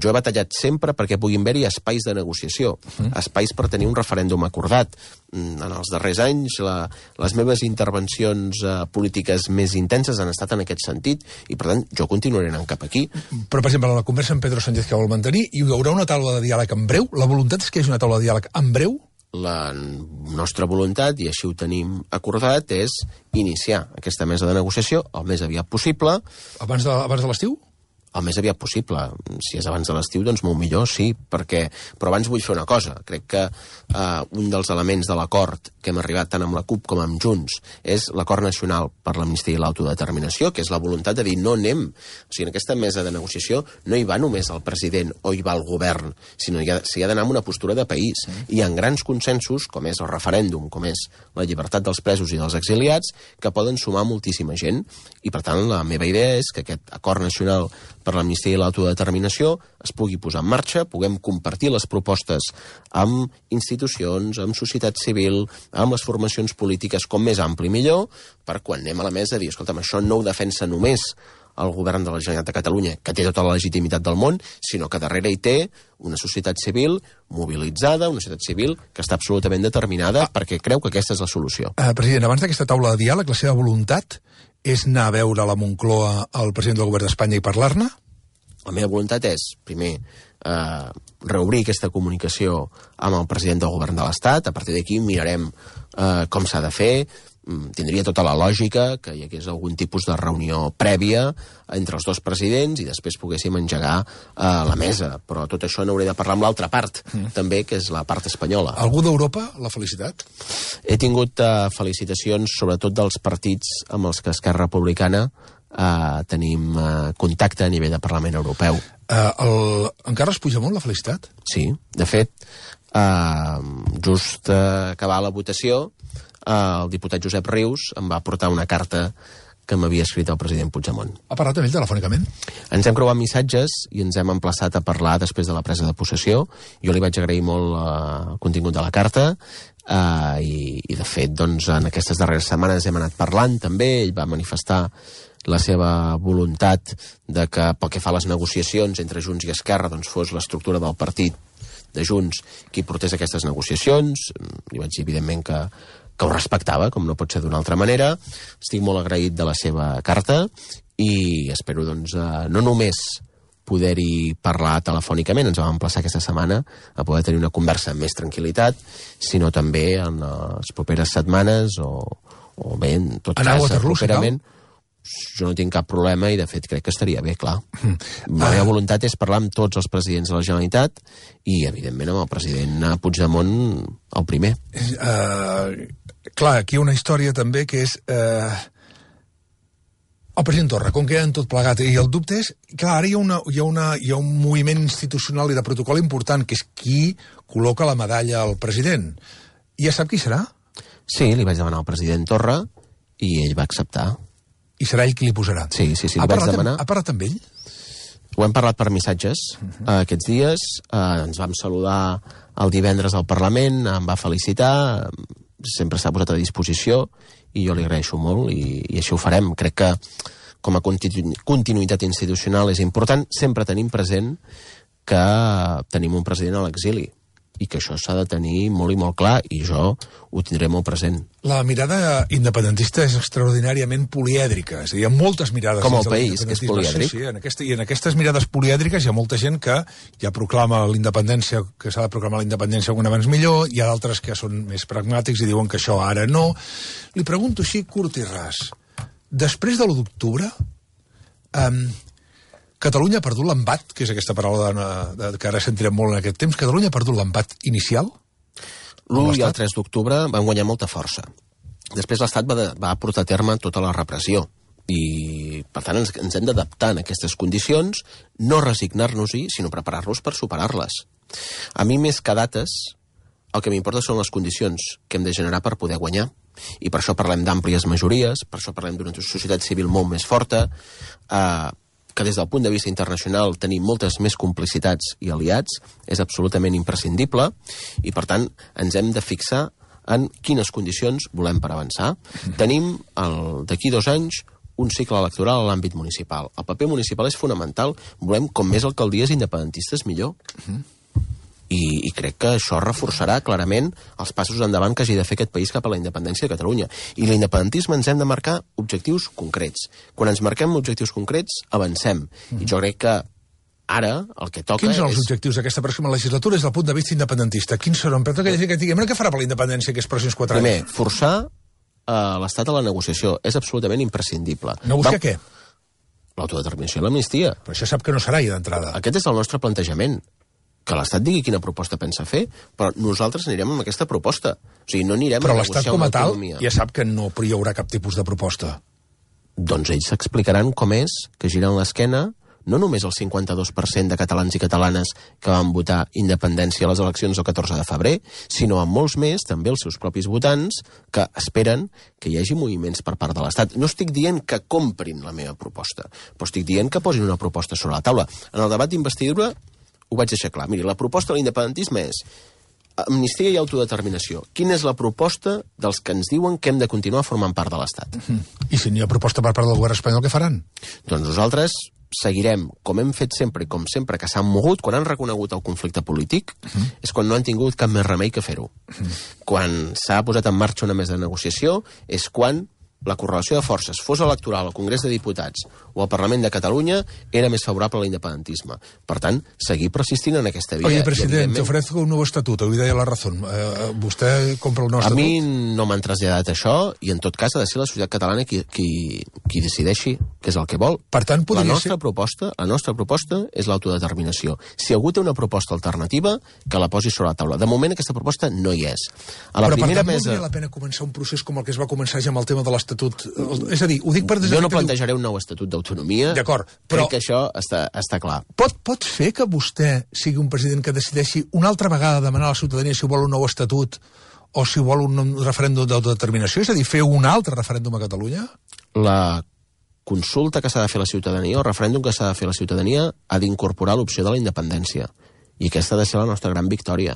B: Jo he batallat sempre perquè puguin haver-hi espais de negociació, mm. espais per tenir un referèndum acordat. En els darrers anys la, les meves intervencions eh, polítiques més intenses han estat en aquest sentit, i per tant jo continuaré anant cap aquí.
A: Però, per exemple, la conversa amb Pedro Sánchez que vol mantenir, hi haurà una taula de diàleg en breu? La voluntat és que hi hagi una taula de diàleg en breu?
B: La nostra voluntat, i així ho tenim acordat, és iniciar aquesta mesa de negociació el més aviat possible.
A: Abans de, abans de l'estiu?
B: El més aviat possible. Si és abans de l'estiu, doncs molt millor, sí, perquè... Però abans vull fer una cosa. Crec que eh, un dels elements de l'acord que hem arribat tant amb la CUP com amb Junts és l'acord nacional per l'amnistia i l'autodeterminació, que és la voluntat de dir no anem. O sigui, en aquesta mesa de negociació no hi va només el president o hi va el govern, sinó que s'hi ha d'anar amb una postura de país. Mm. Hi ha grans consensos, com és el referèndum, com és la llibertat dels presos i dels exiliats, que poden sumar moltíssima gent. I, per tant, la meva idea és que aquest acord nacional per l'amnistia i l'autodeterminació es pugui posar en marxa, puguem compartir les propostes amb institucions, amb societat civil, amb les formacions polítiques, com més ampli millor, per quan anem a la mesa dir, escolta'm, això no ho defensa només el govern de la Generalitat de Catalunya, que té tota la legitimitat del món, sinó que darrere hi té una societat civil mobilitzada, una societat civil que està absolutament determinada, ah. perquè creu que aquesta és la solució.
A: Uh, president, abans d'aquesta taula de diàleg, la seva voluntat és anar a veure a la Moncloa el president del govern d'Espanya i parlar-ne?
B: La meva voluntat és, primer, eh, reobrir aquesta comunicació amb el president del govern de l'Estat. A partir d'aquí mirarem eh, com s'ha de fer. Tindria tota la lògica que hi hagués algun tipus de reunió prèvia entre els dos presidents i després poguéssim engegar eh, la mesa. Però tot això n'hauré de parlar amb l'altra part, mm. també, que és la part espanyola.
A: Algú d'Europa l'ha felicitat?
B: He tingut eh, felicitacions, sobretot dels partits amb els que Esquerra Republicana Uh, tenim uh, contacte a nivell de Parlament Europeu.
A: Uh, el... Encara es Puigdemont l'ha felicitat?
B: Sí, de fet, uh, just uh, acabar la votació, uh, el diputat Josep Rius em va portar una carta que m'havia escrit el president Puigdemont.
A: Ha parlat amb ell telefònicament?
B: Ens hem creuat missatges i ens hem emplaçat a parlar després de la presa de possessió. Jo li vaig agrair molt uh, el contingut de la carta uh, i, i, de fet, doncs, en aquestes darreres setmanes hem anat parlant també. Ell va manifestar la seva voluntat de que, pel que fa a les negociacions entre Junts i Esquerra, doncs, fos l'estructura del partit de Junts qui portés aquestes negociacions. Li vaig dir, evidentment, que que ho respectava, com no pot ser d'una altra manera. Estic molt agraït de la seva carta i espero, doncs, eh, no només poder-hi parlar telefònicament, ens vam emplaçar aquesta setmana a poder tenir una conversa amb més tranquil·litat, sinó també en les properes setmanes o, o bé, en tot
A: Anau
B: cas, properament.
A: Si
B: jo no tinc cap problema i, de fet, crec que estaria bé, clar. Mm. La meva voluntat és parlar amb tots els presidents de la Generalitat i, evidentment, amb el president Puigdemont el primer.
A: Uh, clar, aquí hi ha una història també que és... Uh, el president Torra, com que en tot plegat, i el dubte és, clar, ara hi ha, una, hi, ha una, hi ha un moviment institucional i de protocol important, que és qui col·loca la medalla al president. I ja sap qui serà?
B: Sí, li vaig demanar al president Torra i ell va acceptar.
A: I serà ell qui li posarà?
B: Sí, sí, sí,
A: ha
B: li vaig
A: parlat,
B: demanar.
A: Ha parlat amb ell?
B: Ho hem parlat per missatges uh -huh. uh, aquests dies. Uh, ens vam saludar el divendres al Parlament, em va felicitar, sempre s'ha posat a disposició i jo li agraeixo molt i, i així ho farem. Crec que com a continu continuïtat institucional és important. Sempre tenim present que tenim un president a l'exili i que això s'ha de tenir molt i molt clar i jo ho tindré molt present.
A: La mirada independentista és extraordinàriament polièdrica, és a dir, hi ha moltes mirades...
B: Com el país, que és polièdric.
A: Sí, sí, en aquesta, i en aquestes mirades polièdriques hi ha molta gent que ja proclama la independència, que s'ha de proclamar la independència un abans millor, hi ha d'altres que són més pragmàtics i diuen que això ara no. Li pregunto així, curt i ras, després de l'u d'octubre, um, Catalunya ha perdut l'embat, que és aquesta paraula de, de, que ara sentirem molt en aquest temps, Catalunya ha perdut l'embat inicial?
B: L'u i el tres d'octubre van guanyar molta força. Després l'Estat va, de, va portar a terme tota la repressió i, per tant, ens, ens hem d'adaptar en aquestes condicions, no resignar-nos-hi, sinó preparar-nos per superar-les. A mi, més que dates, el que m'importa són les condicions que hem de generar per poder guanyar. I per això parlem d'àmplies majories, per això parlem d'una societat civil molt més forta, eh, que des del punt de vista internacional tenim moltes més complicitats i aliats, és absolutament imprescindible, i per tant ens hem de fixar en quines condicions volem per avançar. Mm. Tenim d'aquí dos anys un cicle electoral a l'àmbit municipal. El paper municipal és fonamental, volem com més alcaldies independentistes millor. Mm. I, i crec que això reforçarà clarament els passos endavant que hagi de fer aquest país cap a la independència de Catalunya. I l'independentisme ens hem de marcar objectius concrets. Quan ens marquem objectius concrets, avancem. Mm. I jo crec que ara el que toca
A: Quins són
B: és...
A: els objectius d'aquesta pròxima legislatura des del punt de vista independentista? Quins seran? Però que que diguem, què farà per la independència aquests pròxims quatre
B: Primer,
A: anys?
B: forçar uh, l'Estat a la negociació. És absolutament imprescindible.
A: Negociar
B: Va...
A: què?
B: L'autodeterminació i l'amnistia.
A: Però això sap que no serà ja d'entrada.
B: Aquest és el nostre plantejament. Que l'Estat digui quina proposta pensa fer, però nosaltres anirem amb aquesta proposta. O sigui, no anirem
A: però
B: a negociar
A: l'Estat com a tal
B: autonomia.
A: ja sap que no hi haurà cap tipus de proposta.
B: Doncs ells s'explicaran com és que giren l'esquena no només el cinquanta-dos per cent de catalans i catalanes que van votar independència a les eleccions del catorze de febrer, sinó amb molts més, també els seus propis votants, que esperen que hi hagi moviments per part de l'Estat. No estic dient que comprin la meva proposta, però estic dient que posin una proposta sobre la taula. En el debat d'investidura ho vaig deixar clar. Miri, la proposta de l'independentisme és amnistia i autodeterminació. Quina és la proposta dels que ens diuen que hem de continuar formant part de l'Estat?
A: Mm-hmm. I si n'hi ha proposta per part del govern espanyol, què faran?
B: Doncs nosaltres seguirem, com hem fet sempre i com sempre que s'han mogut, quan han reconegut el conflicte polític, mm-hmm. és quan no han tingut cap més remei que fer-ho. Mm-hmm. Quan s'ha posat en marxa una mesa de negociació, és quan la correlació de forces, fos electoral al Congrés de Diputats o al Parlament de Catalunya, era més favorable a l'independentisme. Per tant, seguir persistint en aquesta via.
A: Oye, president, te ofrezco un nuevo estatuto, hoy de la razón. Eh, ¿Vostè compra el nou estatut?
B: A mi no m'han traslladat això, i en tot cas ha de ser la societat catalana qui, qui, qui decideixi que és el que vol.
A: Per tant, podria
B: la nostra
A: ser...
B: proposta, la nostra proposta és l'autodeterminació. Si algú té una proposta alternativa, que la posi sobre la taula. De moment aquesta proposta no hi és. A la
A: Però
B: primera
A: per tant
B: mesa...
A: valdria la pena començar un procés com el que es va començar ja amb el tema de l'Estatut. És a dir, ho dic per...
B: Jo no plantejaré un nou Estatut d'Autonomia.
A: D'acord, però...
B: Crec que això està, està clar.
A: Pot, pot fer que vostè sigui un president que decideixi una altra vegada demanar a la ciutadania si vol un nou Estatut o si vol un referèndum d'autodeterminació? És a dir, fer un altre referèndum a Catalunya?
B: La consulta que s'ha de fer la ciutadania, o el referèndum que s'ha de fer la ciutadania, ha d'incorporar l'opció de la independència. I aquesta ha de ser la nostra gran victòria.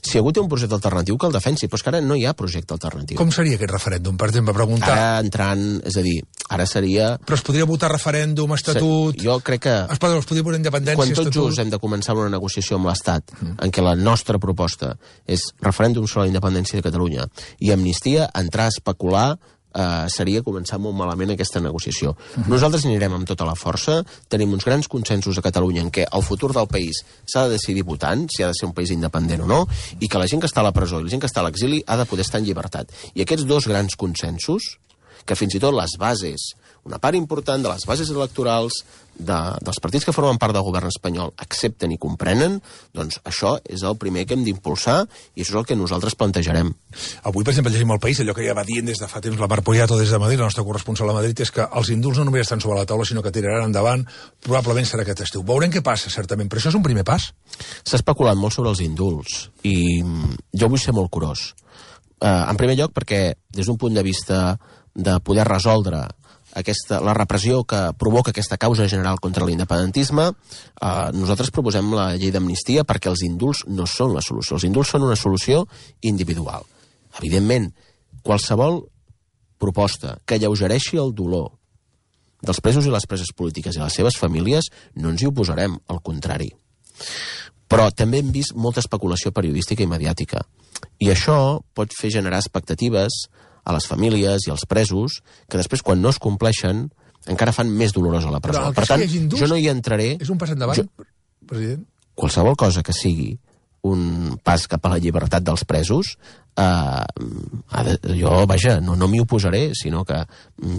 B: Si algú té un projecte alternatiu, que el defensi, però és que ara no hi ha projecte alternatiu.
A: Com seria aquest referèndum, per exemple, preguntar?
B: Ara entrant, és a dir, ara seria...
A: Però es podria votar referèndum, estatut...
B: Jo crec que...
A: Es podria, es podria posar independència,
B: quan tot
A: estatut...
B: just hem de començar una negociació amb l'Estat, mm. en què la nostra proposta és referèndum sobre la independència de Catalunya i amnistia, entrar a especular Uh, seria començar molt malament aquesta negociació. Uh -huh. Nosaltres anirem amb tota la força, tenim uns grans consensos a Catalunya en què el futur del país s'ha de decidir votant, si ha de ser un país independent o no, i que la gent que està a la presó i la gent que està a l'exili ha de poder estar en llibertat. I aquests dos grans consensos, que fins i tot les bases, una part important de les bases electorals de, dels partits que formen part del govern espanyol accepten i comprenen, doncs això és el primer que hem d'impulsar i això és el que nosaltres plantejarem.
A: Avui, per exemple, llegim al País, allò que ja va dient des de fa temps la Mar Poyato des de Madrid, la nostra corresponsal a Madrid, és que els indults no només estan sobre la taula, sinó que tiraran endavant, probablement serà aquest estiu. Veurem què passa, certament, però això és un primer pas.
B: S'ha especulat molt sobre els indults i jo vull ser molt curós. Uh, en primer lloc, perquè des d'un punt de vista de poder resoldre aquesta, la repressió que provoca aquesta causa general contra l'independentisme, eh, nosaltres proposem la llei d'amnistia perquè els indults no són la solució. Els indults són una solució individual. Evidentment, qualsevol proposta que alleugereixi el dolor dels presos i les preses polítiques i les seves famílies no ens hi oposarem, al contrari. Però també hem vist molta especulació periodística i mediàtica. I això pot fer generar expectatives a les famílies i als presos, que després, quan no es compleixen, encara fan més dolorosa la presó. Per tant, jo no hi entraré...
A: És un pas endavant, jo... president?
B: Qualsevol cosa que sigui un pas cap a la llibertat dels presos, eh, jo, vaja, no, no m'hi oposaré, sinó que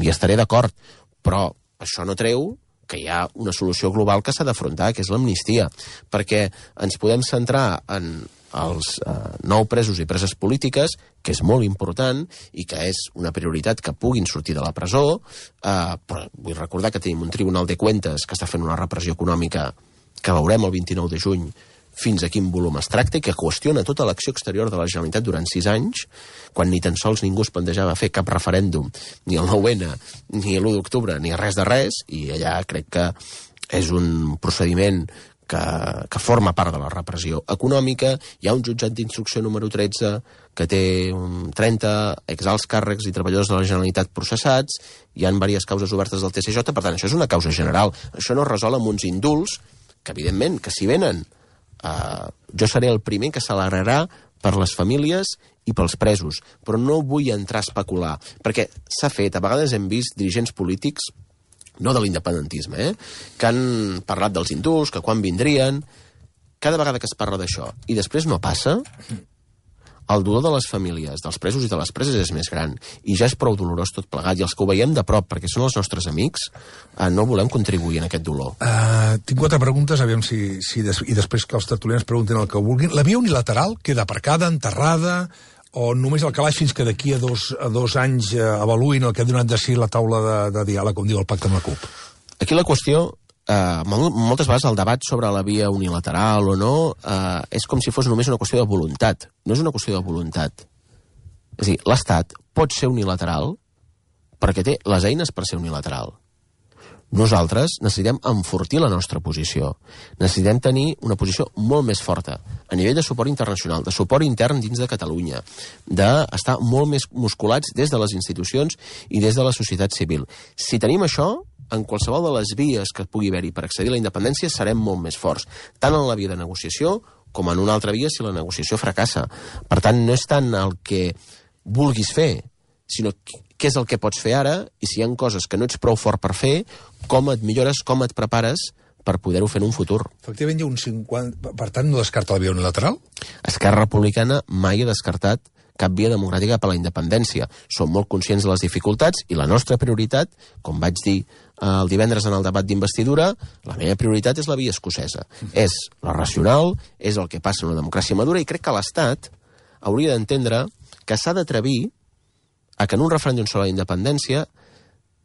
B: hi estaré d'acord. Però això no treu que hi ha una solució global que s'ha d'afrontar, que és l'amnistia, perquè ens podem centrar en els eh, nou presos i preses polítiques, que és molt important i que és una prioritat que puguin sortir de la presó, eh, però vull recordar que tenim un Tribunal de Cuentas que està fent una repressió econòmica que veurem el vint-i-nou de juny fins a quin volum es tracta i que qüestiona tota l'acció exterior de la Generalitat durant sis anys, quan ni tan sols ningú es plantejava fer cap referèndum, ni el nou ene, ni l'u d'octubre, ni res de res, i allà crec que és un procediment que, que forma part de la repressió econòmica. Hi ha un jutjat d'instrucció número tretze que té trenta exalts càrrecs i treballadors de la Generalitat processats, hi ha diverses causes obertes del T C J, per tant, això és una causa general. Això no es resol amb uns indults, que evidentment, que si venen, eh, jo seré el primer que s'alegrarà per les famílies i pels presos, però no vull entrar a especular, perquè s'ha fet, a vegades hem vist dirigents polítics, no de l'independentisme, eh? que han parlat dels indults, que quan vindrien. Cada vegada que es parla d'això i després no passa, el dolor de les famílies, dels presos i de les preses és més gran, i ja és prou dolorós tot plegat, i els que ho veiem de prop, perquè són els nostres amics, eh, no volem contribuir en aquest dolor.
A: Uh, tinc quatre preguntes, aviam si, si des, i després que els tertulians preguntin el que vulguin. La via unilateral queda aparcada, enterrada, o només el calaix fins que d'aquí a dos, a dos anys eh, avaluïn el que ha donat de si la taula de, de diàleg, com diu el pacte amb la CUP?
B: Aquí la qüestió, eh, moltes vegades el debat sobre la via unilateral o no eh, és com si fos només una qüestió de voluntat. No és una qüestió de voluntat. És a dir, l'Estat pot ser unilateral perquè té les eines per ser unilateral. Nosaltres necessitem enfortir la nostra posició. Necessitem tenir una posició molt més forta a nivell de suport internacional, de suport intern dins de Catalunya, d'estar molt més musculats des de les institucions i des de la societat civil. Si tenim això, en qualsevol de les vies que pugui haver-hi per accedir a la independència serem molt més forts, tant en la via de negociació com en una altra via si la negociació fracassa. Per tant, no és tant el que vulguis fer, sinó què és el que pots fer ara, i si hi ha coses que no ets prou fort per fer, com et millores, com et prepares per poder-ho fer en un futur.
A: Efectivament, hi ha un cinquanta... Per tant, no descarta la via unilateral?
B: Esquerra Republicana mai ha descartat cap via democràtica per a la independència. Som molt conscients de les dificultats i la nostra prioritat, com vaig dir el divendres en el debat d'investidura, la meva prioritat és la via escocesa. És la racional, és el que passa en una democràcia madura, i crec que l'Estat hauria d'entendre que s'ha d'atrevir a que en un referèndum sobre la independència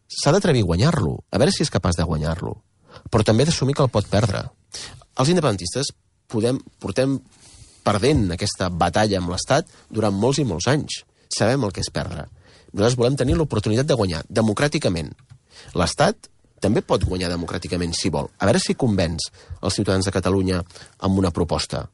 B: s'ha d'atrevir a guanyar-lo, a veure si és capaç de guanyar-lo, però també d'assumir que el pot perdre. Els independentistes podem, portem perdent aquesta batalla amb l'Estat durant molts i molts anys. Sabem el que és perdre. Nosaltres volem tenir l'oportunitat de guanyar democràticament. L'Estat també pot guanyar democràticament si vol. A veure si convenç els ciutadans de Catalunya amb una proposta.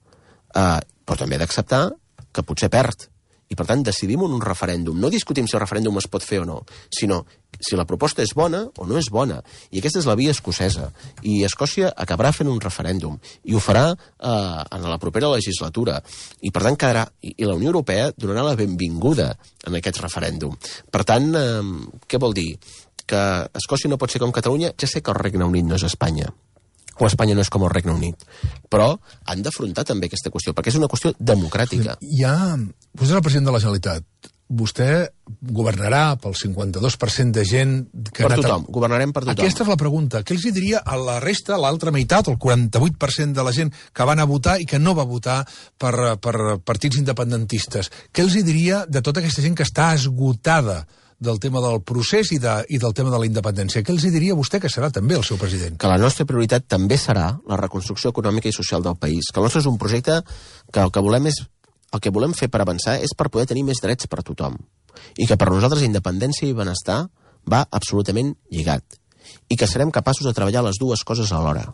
B: Uh, però també d'acceptar que potser perd. I, per tant, decidim en un referèndum. No discutim si el referèndum es pot fer o no, sinó si la proposta és bona o no és bona. I aquesta és la via escocesa. I Escòcia acabarà fent un referèndum. I ho farà eh, en la propera legislatura. I, per tant, quedarà... I, i la Unió Europea donarà la benvinguda en aquest referèndum. Per tant, eh, què vol dir? Que Escòcia no pot ser com Catalunya? Ja sé que el Regne Unit no és Espanya, o Espanya no és com el Regne Unit, però han d'afrontar també aquesta qüestió, perquè és una qüestió democràtica.
A: Ja, vostè és el president de la Generalitat. Vostè governarà pel cinquanta-dos per cent de gent... Que
B: per tothom, a... governarem per tothom.
A: Aquesta és la pregunta. Què els diria a la resta, a l'altra meitat, el quaranta-vuit per cent de la gent que van a votar i que no va votar per, per partits independentistes? Què els diria de tota aquesta gent que està esgotada del tema del procés i, de, i del tema de la independència? Què els diria vostè que serà també el seu president?
B: Que la nostra prioritat també serà la reconstrucció econòmica i social del país. Que el nostre és un projecte que el que volem és el que volem fer per avançar és per poder tenir més drets per a tothom. I que per nosaltres independència i benestar va absolutament lligat. I que serem capaços de treballar les dues coses alhora.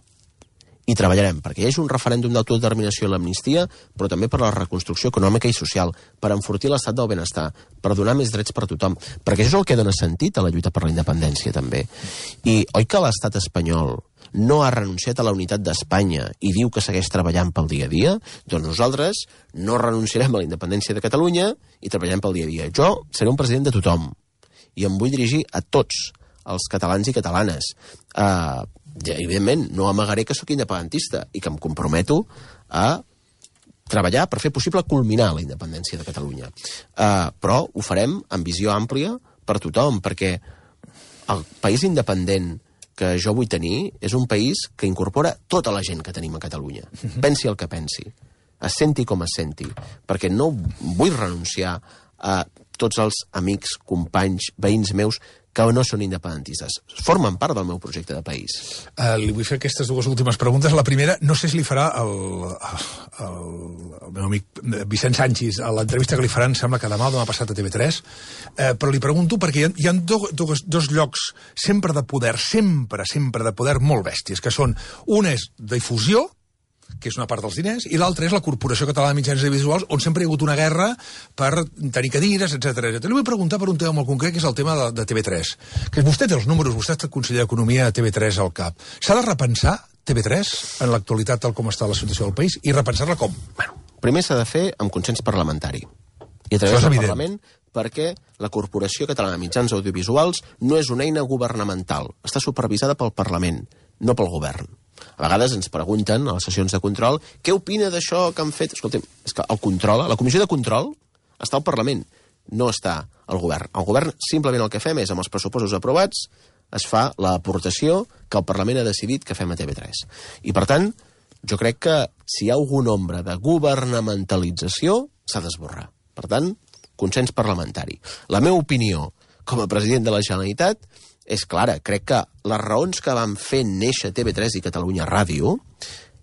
B: I treballarem perquè hi hagi un referèndum d'autodeterminació i l'amnistia, però també per la reconstrucció econòmica i social, per enfortir l'estat del benestar, per donar més drets per a tothom, perquè això és el que dona sentit a la lluita per la independència, també. I oi que l'estat espanyol no ha renunciat a la unitat d'Espanya i diu que segueix treballant pel dia a dia? Doncs nosaltres no renunciarem a la independència de Catalunya i treballarem pel dia a dia. Jo seré un president de tothom i em vull dirigir a tots els catalans i catalanes. Uh, ja, evidentment, no amagaré que sóc independentista i que em comprometo a treballar per fer possible culminar la independència de Catalunya. Uh, però ho farem amb visió àmplia per tothom, perquè el país independent que jo vull tenir és un país que incorpora tota la gent que tenim a Catalunya. Pensi el que pensi, es senti com es senti, perquè no vull renunciar a tots els amics, companys, veïns meus que no són independentistes. Formen part del meu projecte de país.
A: Uh, li vull fer aquestes dues últimes preguntes. La primera, no sé si li farà el, el, el meu amic Vicent Sanchis a l'entrevista que li faran, sembla que demà o demà passat a T V tres, uh, però li pregunto perquè hi ha, hi ha do, dos, dos llocs sempre de poder, sempre, sempre de poder molt bèsties, que són, un és difusió, que és una part dels diners, i l'altra és la Corporació Catalana de Mitjans Audiovisuals, on sempre hi ha hagut una guerra per tenir cadires, etcètera etcètera. Li vull preguntar per un tema molt concret, que és el tema de, de T V tres. Que vostè té els números, vostè és conseller d'Economia a T V tres al cap. S'ha de repensar T V tres en l'actualitat tal com està la situació del país i repensar-la com?
B: Bueno, primer s'ha de fer amb consens parlamentari. I a través del Parlament, perquè la Corporació Catalana de Mitjans Audiovisuals no és una eina governamental. Està supervisada pel Parlament, no pel govern. A vegades ens pregunten a les sessions de control què opina d'això que han fet. Escolta'm, és que el control, la comissió de control està al Parlament, no està al govern. El govern simplement el que fem és, amb els pressupostos aprovats, es fa l'aportació que el Parlament ha decidit que fem a T V tres. I, per tant, jo crec que si hi ha algun ombra de governamentalització, s'ha d'esborrar. Per tant, consens parlamentari. La meva opinió com a president de la Generalitat és clara. Crec que les raons que van fer néixer T V tres i Catalunya Ràdio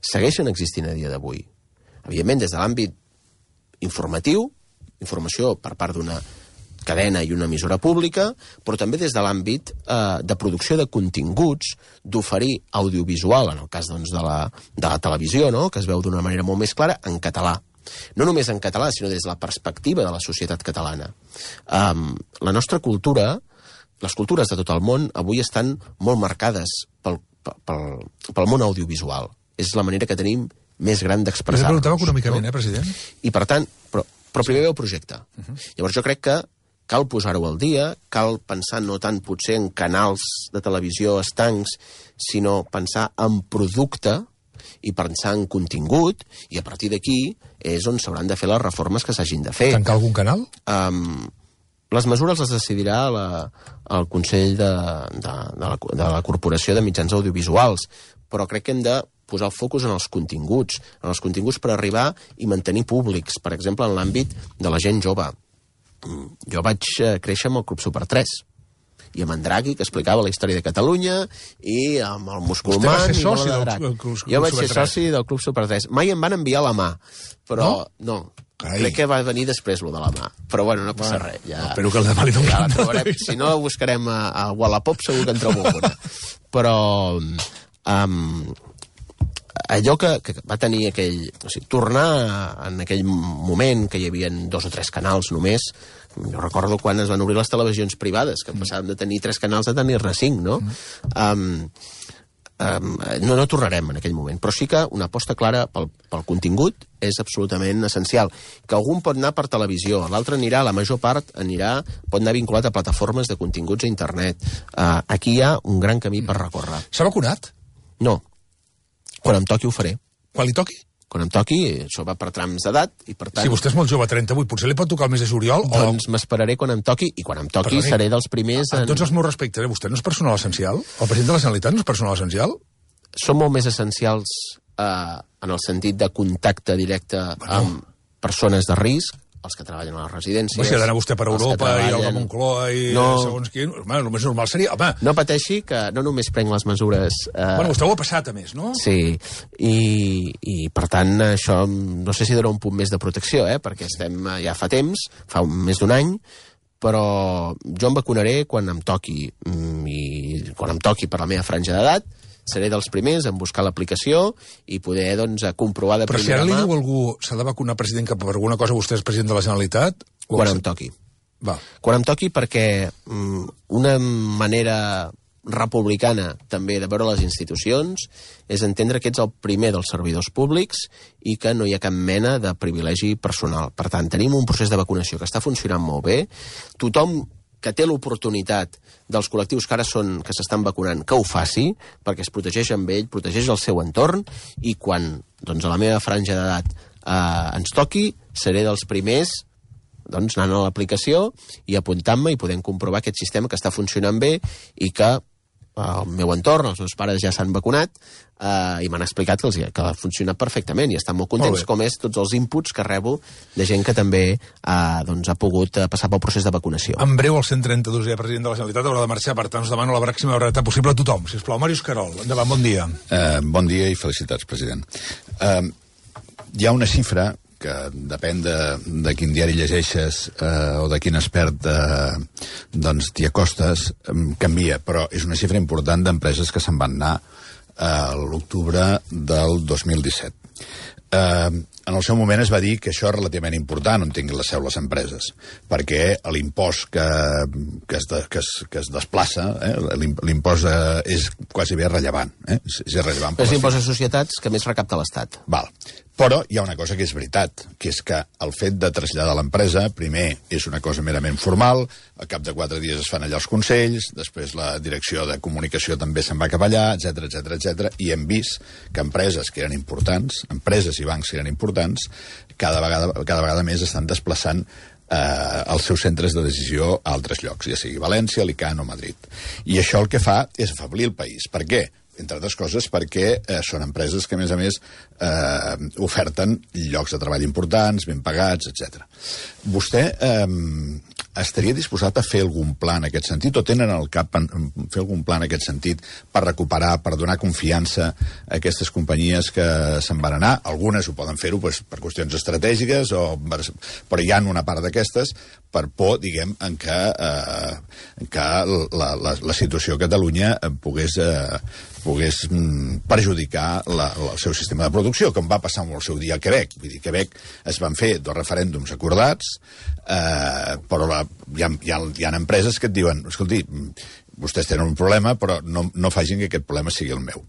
B: segueixen existint a dia d'avui. Evidentment, des de l'àmbit informatiu, informació per part d'una cadena i una emissora pública, però també des de l'àmbit eh, de producció de continguts, d'oferir audiovisual, en el cas doncs, de, la, de la televisió, no?, que es veu d'una manera molt més clara, en català. No només en català, sinó des de la perspectiva de la societat catalana. Um, la nostra cultura, les cultures de tot el món, avui estan molt marcades pel, pel, pel món audiovisual. És la manera que tenim més gran d'expressar-nos.
A: Però preguntava econòmicament, no? eh, president?
B: I per tant, però, però primer ve el projecte. Uh -huh. Llavors jo crec que cal posar-ho al dia, cal pensar no tant potser en canals de televisió estancs, sinó pensar en producte i pensar en contingut, i a partir d'aquí és on s'hauran de fer les reformes que s'hagin de fer.
A: Tancar algun canal?
B: Um, les mesures les decidirà la, el Consell de, de, de, la, de la Corporació de Mitjans Audiovisuals, però crec que hem de posar el focus en els continguts, en els continguts per arribar i mantenir públics, per exemple, en l'àmbit de la gent jove. Jo vaig créixer amb el Club Super tres, i amb en Draghi, que explicava la història de Catalunya, i amb el Musculman...
A: Vostè va ser
B: soci
A: soci del Club Super tres?
B: Jo vaig ser soci del Club Super tres. Mai em van enviar la mà, però no. no. Crec que va venir després, lo de la mà. Però bueno, no passa bueno, res. Ja,
A: espero que el demà li
B: ja la trobarem. Si no, buscarem a, a Wallapop, segur que en trobo alguna. Però... Um, allò que, que va tenir aquell... O sigui, tornar en aquell moment que hi havia dos o tres canals només. Jo recordo quan es van obrir les televisions privades, que passàvem de tenir tres canals a tenir-ne cinc, no? Um, um, no, no tornarem en aquell moment, però sí que una aposta clara pel, pel contingut és absolutament essencial. Que algun pot anar per televisió, l'altre anirà, la major part anirà, pot anar vinculat a plataformes de continguts a internet. Uh, aquí hi ha un gran camí per recórrer.
A: S'ha vacunat?
B: No. Quan em toqui ho faré.
A: Quan li toqui?
B: Quan em toqui, això va per trams d'edat, i per tant...
A: Si vostè és molt jove, trenta-vuit, potser li pot tocar el mes de juliol?
B: Doncs o... m'esperaré quan em toqui, i quan em toqui Perdoni, seré dels primers...
A: En... Amb tots els meus respectes, eh? Vostè no és personal essencial? El president de la Generalitat no és personal essencial?
B: Són molt més essencials eh, en el sentit de contacte directe bueno. amb persones de risc, els que treballen a les residències...
A: Home, si ha d'anar vostè per Europa treballen... i el de Moncloa i no. segons quin... Home, el més normal seria... Home.
B: No pateixi, que no només prenc les mesures...
A: Eh... Bueno, vostè ho ha passat, a més, no?
B: Sí, i, i per tant això no sé si dona un punt més de protecció, eh? Perquè estem ja fa temps, fa un, més d'un any, però jo em vacunaré quan em toqui, i quan em toqui per la meva franja d'edat, seré dels primers en buscar l'aplicació i poder, doncs, comprovar de
A: Però
B: primera mà...
A: Però si ara li diu algú s'ha de vacunar president que per alguna cosa vostè és president de la Generalitat...
B: Quan em toqui.
A: Va.
B: Quan em toqui perquè um, una manera republicana també de veure les institucions és entendre que ets el primer dels servidors públics i que no hi ha cap mena de privilegi personal. Per tant, tenim un procés de vacunació que està funcionant molt bé. Tothom que té l'oportunitat dels col·lectius que ara són, que s'estan vacunant, que ho faci, perquè es protegeix amb ell, protegeix el seu entorn, i quan, doncs, a la meva franja d'edat eh, ens toqui, seré dels primers, doncs, anant a l'aplicació i apuntant-me i podent comprovar aquest sistema que està funcionant bé i que el meu entorn, els meus pares ja s'han vacunat eh, i m'han explicat que, els, que ha funcionat perfectament i estan molt contents, molt com és tots els inputs que rebo de gent que també eh, doncs, ha pogut eh, passar pel procés de vacunació.
A: En breu, el cent trenta-dosè president de la Generalitat haurà de marxar, per tant us demano la màxima brevetat possible a tothom. Sisplau, Màrius Carol, endavant, bon dia.
C: Uh, bon dia i felicitats, president. Uh, hi ha una xifra que depèn de, de quin diari llegeixes eh, o de quin expert eh, doncs t'hi acostes, eh, canvia, però és una xifra important d'empreses que se'n van anar a eh, l'octubre del dos mil disset. Eh, en el seu moment es va dir que això és relativament important on tinguin la seu les empreses, perquè l'impost que, que, es de, que, es, que es desplaça, eh, l'impost eh, és quasi bé rellevant. Eh? És, és rellevant.
B: És l'impost de societats que més recapta l'Estat.
C: Val. Però hi ha una cosa que és veritat, que és que el fet de traslladar l'empresa, primer, és una cosa merament formal, al cap de quatre dies es fan allà els consells, després la direcció de comunicació també se'n va cap allà, etcètera, etcètera, etcètera, i hem vist que empreses que eren importants, empreses i bancs que eren importants, cada vegada, cada vegada més estan desplaçant eh, els seus centres de decisió a altres llocs, ja sigui València, Alicant o Madrid. I això el que fa és afeblir el país. Per què? Entre altres coses perquè eh, són empreses que, a més a més, eh, oferten llocs de treball importants, ben pagats, etcètera. Vostè eh, estaria disposat a fer algun pla en aquest sentit, o tenen al cap en, fer algun pla en aquest sentit per recuperar, per donar confiança a aquestes companyies que se'n van anar? Algunes ho poden fer-ho pues, per qüestions estratègiques, o, però hi ha una part d'aquestes per por, diguem, en què, eh, en què la, la, la situació a Catalunya pogués... Eh, pogués mm, perjudicar la, la, el seu sistema de producció, com va passar amb el seu dia a Quebec. Vull dir, a Quebec es van fer dos referèndums acordats, eh, però la, hi, ha, hi, ha, hi ha empreses que et diuen, escolti, vostès tenen un problema, però no, no facin que aquest problema sigui el meu.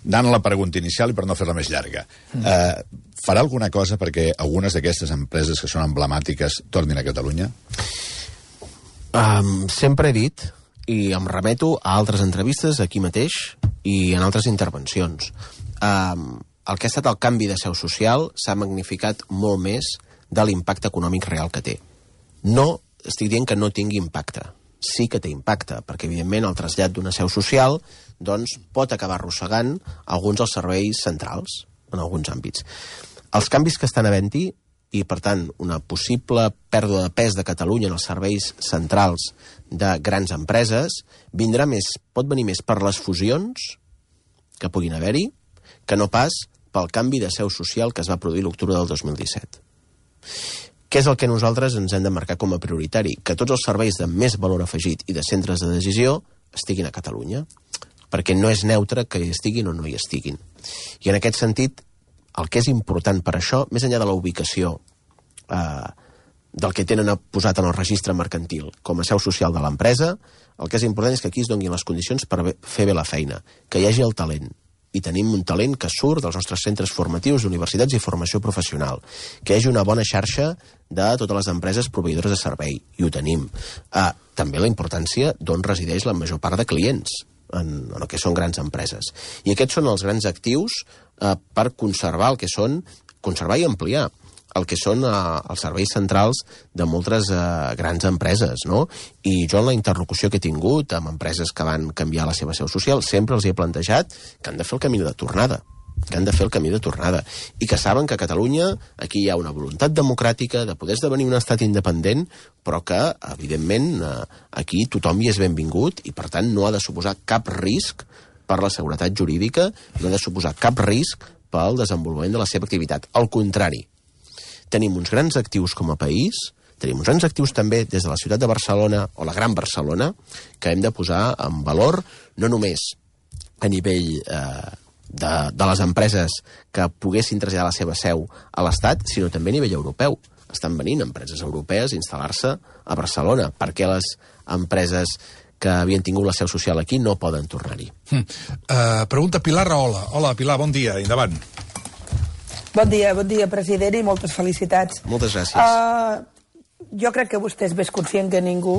C: Anant a la pregunta inicial i per no fer-la més llarga, eh, farà alguna cosa perquè algunes d'aquestes empreses que són emblemàtiques tornin a Catalunya?
B: Um, sempre he dit, i em remeto a altres entrevistes aquí mateix i en altres intervencions. Um, el que ha estat el canvi de seu social s'ha magnificat molt més de l'impacte econòmic real que té. No estic dient que no tingui impacte. Sí que té impacte, perquè, evidentment, el trasllat d'una seu social doncs, pot acabar arrossegant alguns dels serveis centrals, en alguns àmbits. Els canvis que estan havent-hi, i, per tant, una possible pèrdua de pes de Catalunya en els serveis centrals de grans empreses, vindrà més, pot venir més per les fusions que puguin haver-hi, que no pas pel canvi de seu social que es va produir l'octubre del dos mil disset. Què és el que nosaltres ens hem de marcar com a prioritari? Que tots els serveis de més valor afegit i de centres de decisió estiguin a Catalunya, perquè no és neutre que hi estiguin o no hi estiguin. I en aquest sentit, el que és important per això, més enllà de la ubicació eh, del que tenen posat en el registre mercantil com a seu social de l'empresa, el que és important és que aquí es donin les condicions per fer bé la feina, que hi hagi el talent, i tenim un talent que surt dels nostres centres formatius, universitats i formació professional, que hi hagi una bona xarxa de totes les empreses proveïdores de servei, i ho tenim. Eh, també la importància d'on resideix la major part de clients, en, en el que són grans empreses. I aquests són els grans actius eh, per conservar el que són, conservar i ampliar el que són eh, els serveis centrals de moltes eh, grans empreses, no? I jo en la interlocució que he tingut amb empreses que van canviar la seva seu social sempre els he plantejat que han de fer el camí de tornada, que han de fer el camí de tornada, i que saben que a Catalunya aquí hi ha una voluntat democràtica de poder esdevenir un estat independent, però que, evidentment, eh, aquí tothom hi és benvingut i, per tant, no ha de suposar cap risc per la seguretat jurídica, no ha de suposar cap risc pel desenvolupament de la seva activitat. Al contrari, tenim uns grans actius com a país, tenim uns grans actius també des de la ciutat de Barcelona o la Gran Barcelona, que hem de posar en valor no només a nivell eh, de, de les empreses que poguessin traslladar la seva seu a l'Estat, sinó també a nivell europeu. Estan venint empreses europees a instal·lar-se a Barcelona. Per què les empreses que havien tingut la seu social aquí no poden tornar-hi?
A: Mm. Uh, pregunta Pilar Rahola. Hola, Pilar, bon dia, endavant.
D: Bon dia, bon dia, president, i moltes felicitats.
B: Moltes gràcies.
D: Uh, jo crec que vostè és més conscient que ningú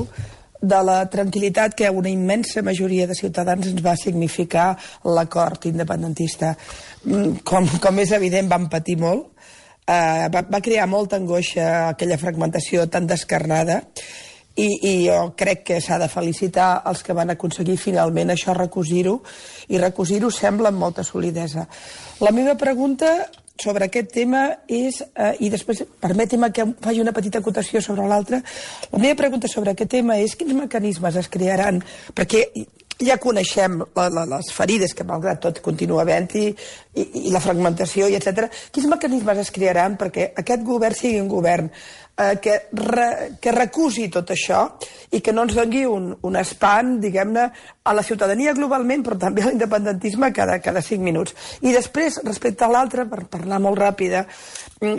D: de la tranquil·litat que una immensa majoria de ciutadans ens va significar l'acord independentista. Com, com és evident, vam patir molt. Uh, va, va crear molta angoixa aquella fragmentació tan descarnada, i, i jo crec que s'ha de felicitar els que van aconseguir finalment això, recosir-ho, i recosir-ho sembla amb molta solidesa. La meva pregunta sobre aquest tema és, eh, i després permeti'm que faci una petita acotació sobre l'altra, la meva pregunta sobre aquest tema és quins mecanismes es crearan, perquè ja coneixem la, la, les ferides que malgrat tot continua havent-hi, i, i la fragmentació, i etcètera. Quins mecanismes es crearan perquè aquest govern sigui un govern eh, que, re, que recusi tot això i que no ens doni un, un espant, diguem-ne, a la ciutadania globalment, però també a l'independentisme cada, cada cinc minuts. I després, respecte a l'altre, per parlar molt ràpida,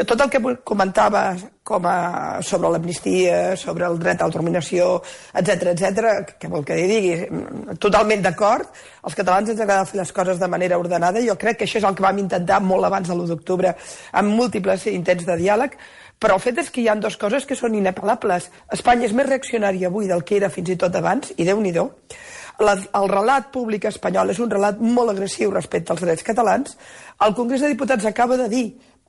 D: tot el que comentava com a, sobre l'amnistia, sobre el dret a l'autodeterminació, etcètera, etcètera, què vol que li digui? Totalment d'acord. Els catalans ens agrada fer les coses de manera ordenada, i jo crec que això és el que vam intentar molt abans de l'u d'octubre, amb múltiples intents de diàleg, però el fet és que hi ha dues coses que són inapel·lables. Espanya és més reaccionària avui del que era fins i tot abans, i Déu-n'hi-do. La, el relat públic espanyol és un relat molt agressiu respecte als drets catalans. El Congrés de Diputats acaba de dir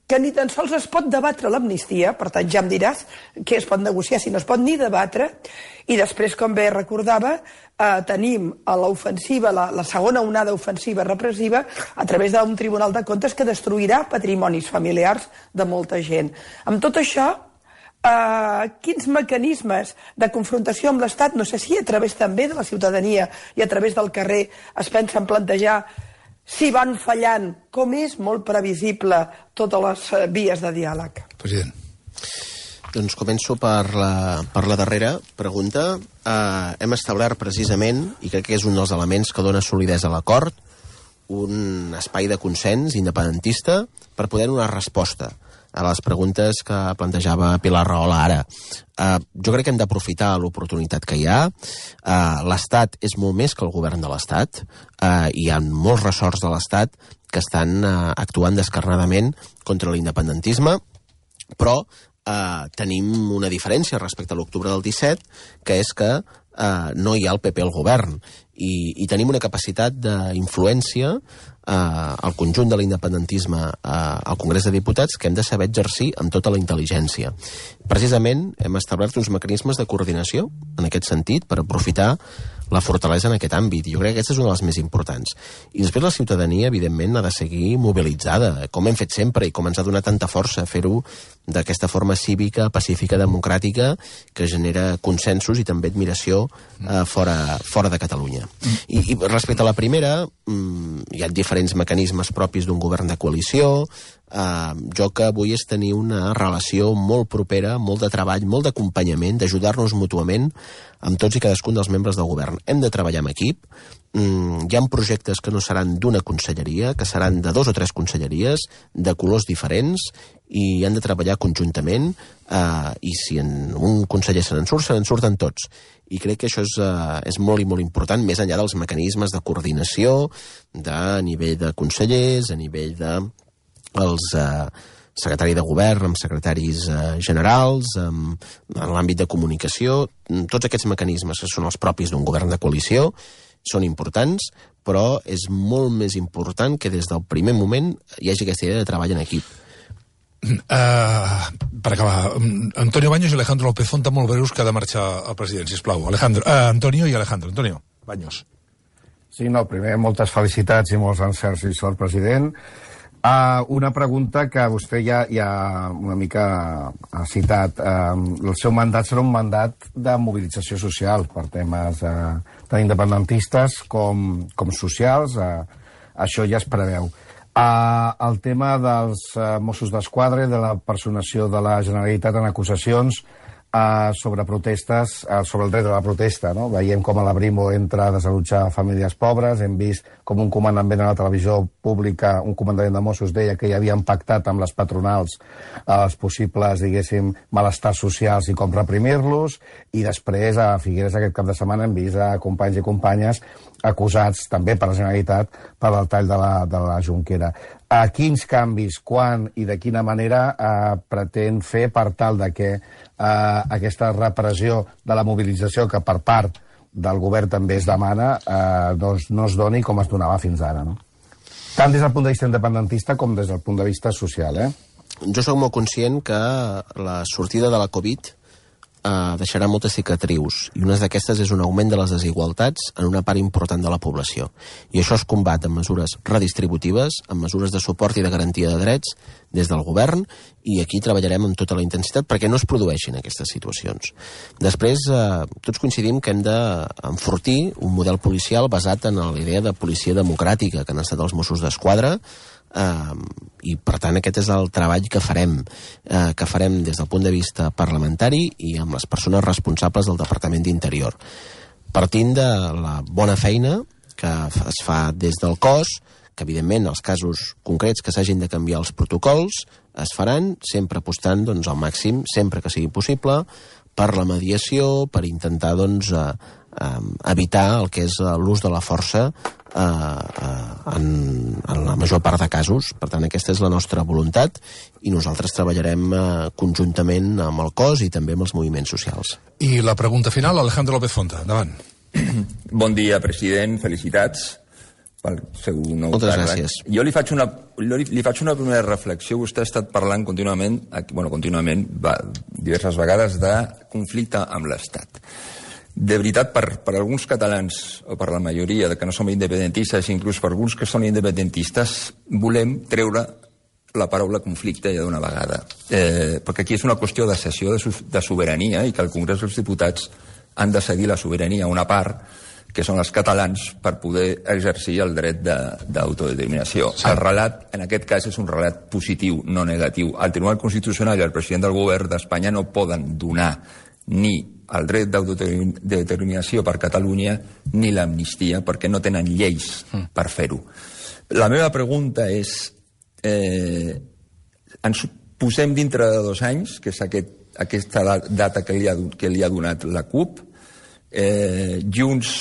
D: que ni tan sols es pot debatre l'amnistia, per tant ja em diràs què es pot negociar si no es pot ni debatre, i després, com bé recordava, eh, tenim a l'ofensiva, la, la segona onada ofensiva repressiva a través d'un Tribunal de Comptes que destruirà patrimonis familiars de molta gent. Amb tot això, Uh, quins mecanismes de confrontació amb l'Estat, no sé si a través també de la ciutadania i a través del carrer, es pensen plantejar si van fallant, com és molt previsible totes les uh, vies de diàleg?
A: President.
B: Doncs començo per la, per la darrera pregunta. Uh, hem establert precisament, i crec que és un dels elements que dona solidesa a l'acord, un espai de consens independentista per poder donar resposta a les preguntes que plantejava Pilar Rahola ara. Uh, jo crec que hem d'aprofitar l'oportunitat que hi ha. Uh, L'Estat és molt més que el govern de l'Estat. Uh, hi ha molts ressorts de l'Estat que estan uh, actuant descarnadament contra l'independentisme, però uh, tenim una diferència respecte a l'octubre del disset, que és que uh, no hi ha el P P al govern. i, i tenim una capacitat d'influència eh, al conjunt de l'independentisme eh, al Congrés de Diputats que hem de saber exercir amb tota la intel·ligència. Precisament hem establert uns mecanismes de coordinació en aquest sentit per aprofitar la fortalesa en aquest àmbit. Jo crec que aquesta és una de les més importants. I després la ciutadania, evidentment, ha de seguir mobilitzada, com hem fet sempre i com ens ha donat tanta força fer-ho d'aquesta forma cívica, pacífica, democràtica, que genera consensos i també admiració eh, fora, fora de Catalunya. I, I respecte a la primera, mmm, hi ha diferents mecanismes propis d'un govern de coalició. Uh, jo que vull és tenir una relació molt propera, molt de treball, molt d'acompanyament, d'ajudar-nos mútuament amb tots i cadascun dels membres del govern. Hem de treballar en equip. Mm, hi ha projectes que no seran d'una conselleria, que seran de dos o tres conselleries, de colors diferents, i han de treballar conjuntament, uh, i si en un conseller se n'en surt, se n'en surten tots. I crec que això és, uh, és molt i molt important, més enllà dels mecanismes de coordinació, de nivell de consellers, a nivell de els eh, secretari de govern, amb secretaris eh, generals, amb, en l'àmbit de comunicació. Tots aquests mecanismes que són els propis d'un govern de coalició són importants, però és molt més important que des del primer moment hi hagi aquesta idea de treball en equip.
A: Uh, per acabar, Antonio Baños i Alejandro López Font, molt breus, que ha de marxar el president, sisplau. Alejandro, uh, Antonio i Alejandro. Antonio Baños.
E: Sí, no, primer, moltes felicitats i molts encerts i sort, president. Uh, una pregunta que vostè ja, ja una mica ha citat. Uh, el seu mandat serà un mandat de mobilització social per temes uh, tant independentistes com, com socials. Uh, això ja es preveu. Uh, el tema dels uh, Mossos d'Esquadra i de la personació de la Generalitat en acusacions Uh, sobre protestes, uh, sobre el dret a la protesta, no? Veiem com a la Brimo entra a desallotjar famílies pobres, hem vist com un comandament a la televisió pública, un comandament de Mossos deia que hi havien pactat amb les patronals uh, els possibles, diguéssim, malestars socials i com reprimir-los, i després a Figueres aquest cap de setmana hem vist a companys i companyes acusats també per la Generalitat per el tall de la, de la Jonquera. A quins canvis, quan i de quina manera eh, pretén fer per tal de que eh, aquesta repressió de la mobilització que per part del govern també es demana eh, doncs no es doni com es donava fins ara, no? Tant des del punt de vista independentista com des del punt de vista social, eh?
B: Jo sóc molt conscient que la sortida de la Covid Uh, deixarà moltes cicatrius, i una d'aquestes és un augment de les desigualtats en una part important de la població. I això es combat amb mesures redistributives, amb mesures de suport i de garantia de drets des del govern, i aquí treballarem amb tota la intensitat perquè no es produeixin aquestes situacions. Després, uh, tots coincidim que hem d'enfortir un model policial basat en la idea de policia democràtica que han estat els Mossos d'Esquadra, Uh, i per tant aquest és el treball que farem uh, que farem des del punt de vista parlamentari i amb les persones responsables del Departament d'Interior, partint de la bona feina que es fa des del cos, que evidentment els casos concrets que s'hagin de canviar els protocols es faran, sempre apostant doncs, al màxim, sempre que sigui possible, per la mediació, per intentar doncs, uh, uh, evitar el que és l'ús de la força Uh, uh, en, en la major part de casos. Per tant, aquesta és la nostra voluntat i nosaltres treballarem uh, conjuntament amb el cos i també amb els moviments socials.
A: I la pregunta final, Alejandro López Fonta, endavant.
F: Bon dia, president, felicitats pel seu nou
B: Moltes
F: càrrec.
B: gràcies.
F: Jo li faig, una, li, li faig una primera reflexió. Vostè ha estat parlant contínuament, bueno, contínuament, va, diverses vegades, de conflicte amb l'Estat. De veritat, per, per alguns catalans, o per la majoria de que no som independentistes, inclús per alguns que són independentistes, volem treure la paraula conflicte ja d'una vegada. Eh, perquè aquí és una qüestió de cessió de, de sobirania i que el Congrés dels Diputats han de cedir la sobirania a una part, que són els catalans, per poder exercir el dret d'autodeterminació. Sí. El relat, en aquest cas, és un relat positiu, no negatiu. El Tribunal Constitucional i el president del govern d'Espanya no poden donar ni el dret d'autodeterminació per Catalunya ni l'amnistia, perquè no tenen lleis per fer-ho. La meva pregunta és, eh, ens posem dintre de dos anys, que és aquest, aquesta data que li, ha, que li ha donat la CUP, eh, Junts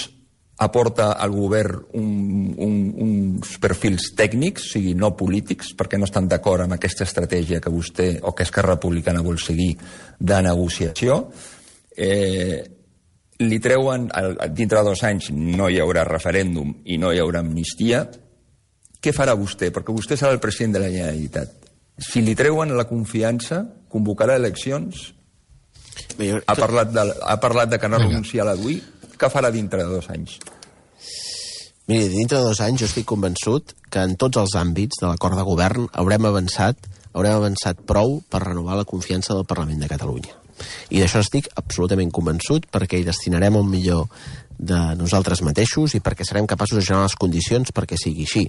F: aporta al govern un, un, uns perfils tècnics, o sigui, no polítics, perquè no estan d'acord amb aquesta estratègia que vostè o que Esquerra Republicana vol seguir de negociació. Eh, li treuen, dintre de dos anys no hi haurà referèndum i no hi haurà amnistia, què farà vostè? Perquè vostè serà el president de la Generalitat. Si li treuen la confiança, convocarà eleccions, ha parlat de, ha parlat de que no renuncia a la D U I, què farà dintre de dos anys?
B: Miri, dintre de dos anys jo estic convençut que en tots els àmbits de l'acord de govern haurem avançat, haurem avançat prou per renovar la confiança del Parlament de Catalunya. I d'això estic absolutament convençut, perquè hi destinarem el millor de nosaltres mateixos i perquè serem capaços de generar les condicions perquè sigui així.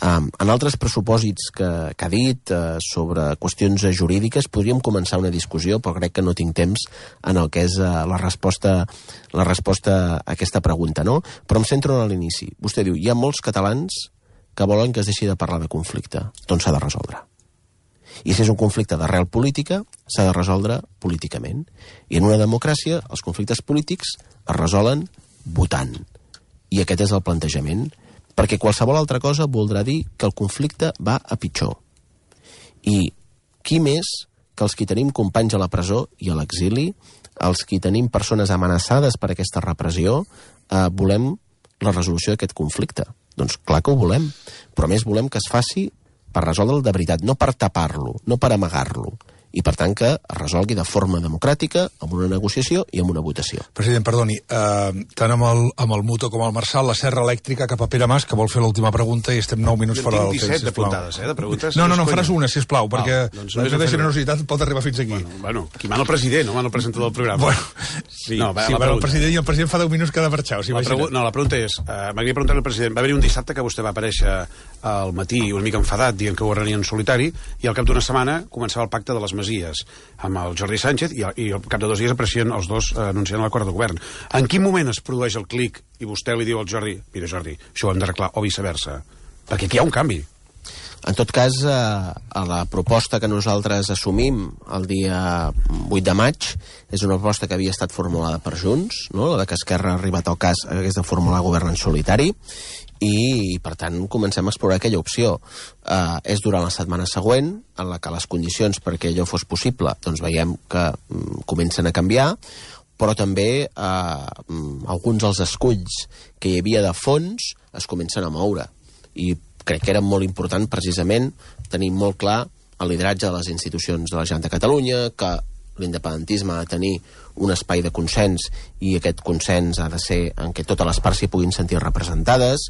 B: Um, en altres pressupòsits que, que ha dit uh, sobre qüestions jurídiques podríem començar una discussió, però crec que no tinc temps en el que és uh, la resposta la resposta a aquesta pregunta, no? Però em centro en l'inici. Vostè diu, hi ha molts catalans que volen que es deixi de parlar de conflicte. Doncs s'ha de resoldre. I si és un conflicte d'arrel política, s'ha de resoldre políticament. I en una democràcia, els conflictes polítics es resolen votant. I aquest és el plantejament. Perquè qualsevol altra cosa voldrà dir que el conflicte va a pitjor. I qui més que els qui tenim companys a la presó i a l'exili, els qui tenim persones amenaçades per aquesta repressió, eh, volem la resolució d'aquest conflicte. Doncs clar que ho volem. Però a més volem que es faci per resoldre'l de veritat, no per tapar-lo, no per amagar-lo. I, per tant, que es resolgui de forma democràtica, amb una negociació i amb una votació.
A: President, perdoni, eh, tant amb el, amb el Muto com el Marçal, la serra elèctrica cap a Pere Mas, que vol fer l'última pregunta i estem nou minuts fora del temps, sisplau.
G: disset d'apuntades, eh, de preguntes.
A: No, no, no, en faràs una, sisplau, perquè
G: oh, doncs
A: la
G: no
A: meva generositat pot arribar fins aquí.
G: Bueno, bueno, qui mana el president, no mana el presentador del programa.
A: Bueno, sí,
G: no, va,
A: sí
G: bueno,
A: el president i el president fa deu minuts que ha de marxar, o sigui,
G: la pregu no, la pregunta és, uh, m'agradaria preguntar al president, va haver-hi un dissabte que vostè va aparèixer al matí una mica enfadat, dient que ho arrenia en solitari, i al cap d'una setmana començava el pacte de les Masies amb el Jordi Sánchez, i, i al cap de dos dies apareixien els dos eh, anunciant l'acord de govern. En quin moment es produeix el clic i vostè li diu al Jordi, mira Jordi, això ho hem d'arreglar, o viceversa? Perquè aquí hi ha un canvi.
B: En tot cas, eh, a la proposta que nosaltres assumim el dia vuit de maig és una proposta que havia estat formulada per Junts, no? La que Esquerra ha arribat al cas hagués de formular govern en solitari, i, per tant, comencem a explorar aquella opció. Eh, és durant la setmana següent, en la que les condicions perquè allò fos possible, doncs veiem que mm, comencen a canviar, però també eh, alguns dels esculls que hi havia de fons es comencen a moure. I crec que era molt important, precisament, tenir molt clar el lideratge de les institucions de la Generalitat de Catalunya, que l'independentisme ha de tenir un espai de consens i aquest consens ha de ser en què totes les parts s'hi puguin sentir representades,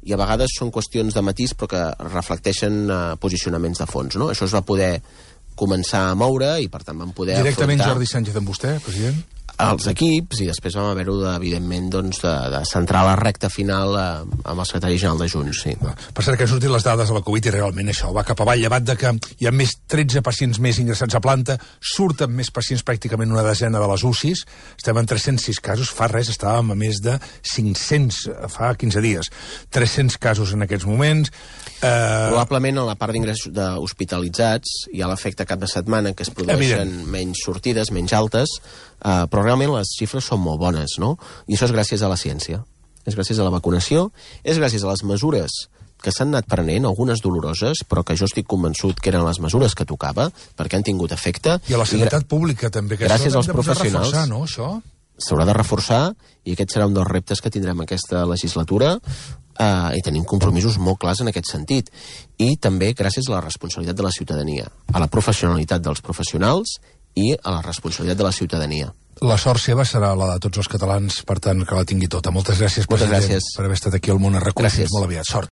B: i a vegades són qüestions de matís però que reflecteixen eh, posicionaments de fons, no? Això es va poder començar a moure i per tant vam poder
A: Directament
B: afrontar
A: Jordi Sánchez amb vostè, president?
B: els equips, i després vam haver-ho, evidentment, doncs, de, de centrar la recta final eh, amb el secretari general de Junts, sí.
A: Per cert, que han sortit les dades de la Covid i realment això va cap avall, llevat de que hi ha més tretze pacients més ingressats a planta, surten més pacients, pràcticament una desena de les U C Is, estem en tres-cents sis casos, fa res estàvem a més de cinc-cents fa quinze dies, tres-cents casos en aquests moments. Eh...
B: Probablement a la part d'ingressos hospitalitzats hi ha l'efecte cap de setmana que es produeixen Evident. menys sortides, menys altes, eh, però realment les xifres són molt bones, no? I això és gràcies a la ciència, és gràcies a la vacunació, és gràcies a les mesures que s'han anat prenent, algunes doloroses, però que jo estic convençut que eren les mesures que tocava, perquè han tingut efecte.
A: I a la sanitat pública també, que
B: gràcies als professionals.
A: Reforçar, no, això?
B: S'haurà de reforçar, i aquest serà un dels reptes que tindrem aquesta legislatura, eh, i tenim compromisos molt clars en aquest sentit. I també gràcies a la responsabilitat de la ciutadania, a la professionalitat dels professionals i a la responsabilitat de la ciutadania.
A: La sort seva serà la de tots els catalans, per tant, que la tingui tota. Moltes gràcies,
B: Moltes
A: president,
B: gràcies.
A: per haver estat aquí al Món a RAC u. Fins molt aviat. Sort.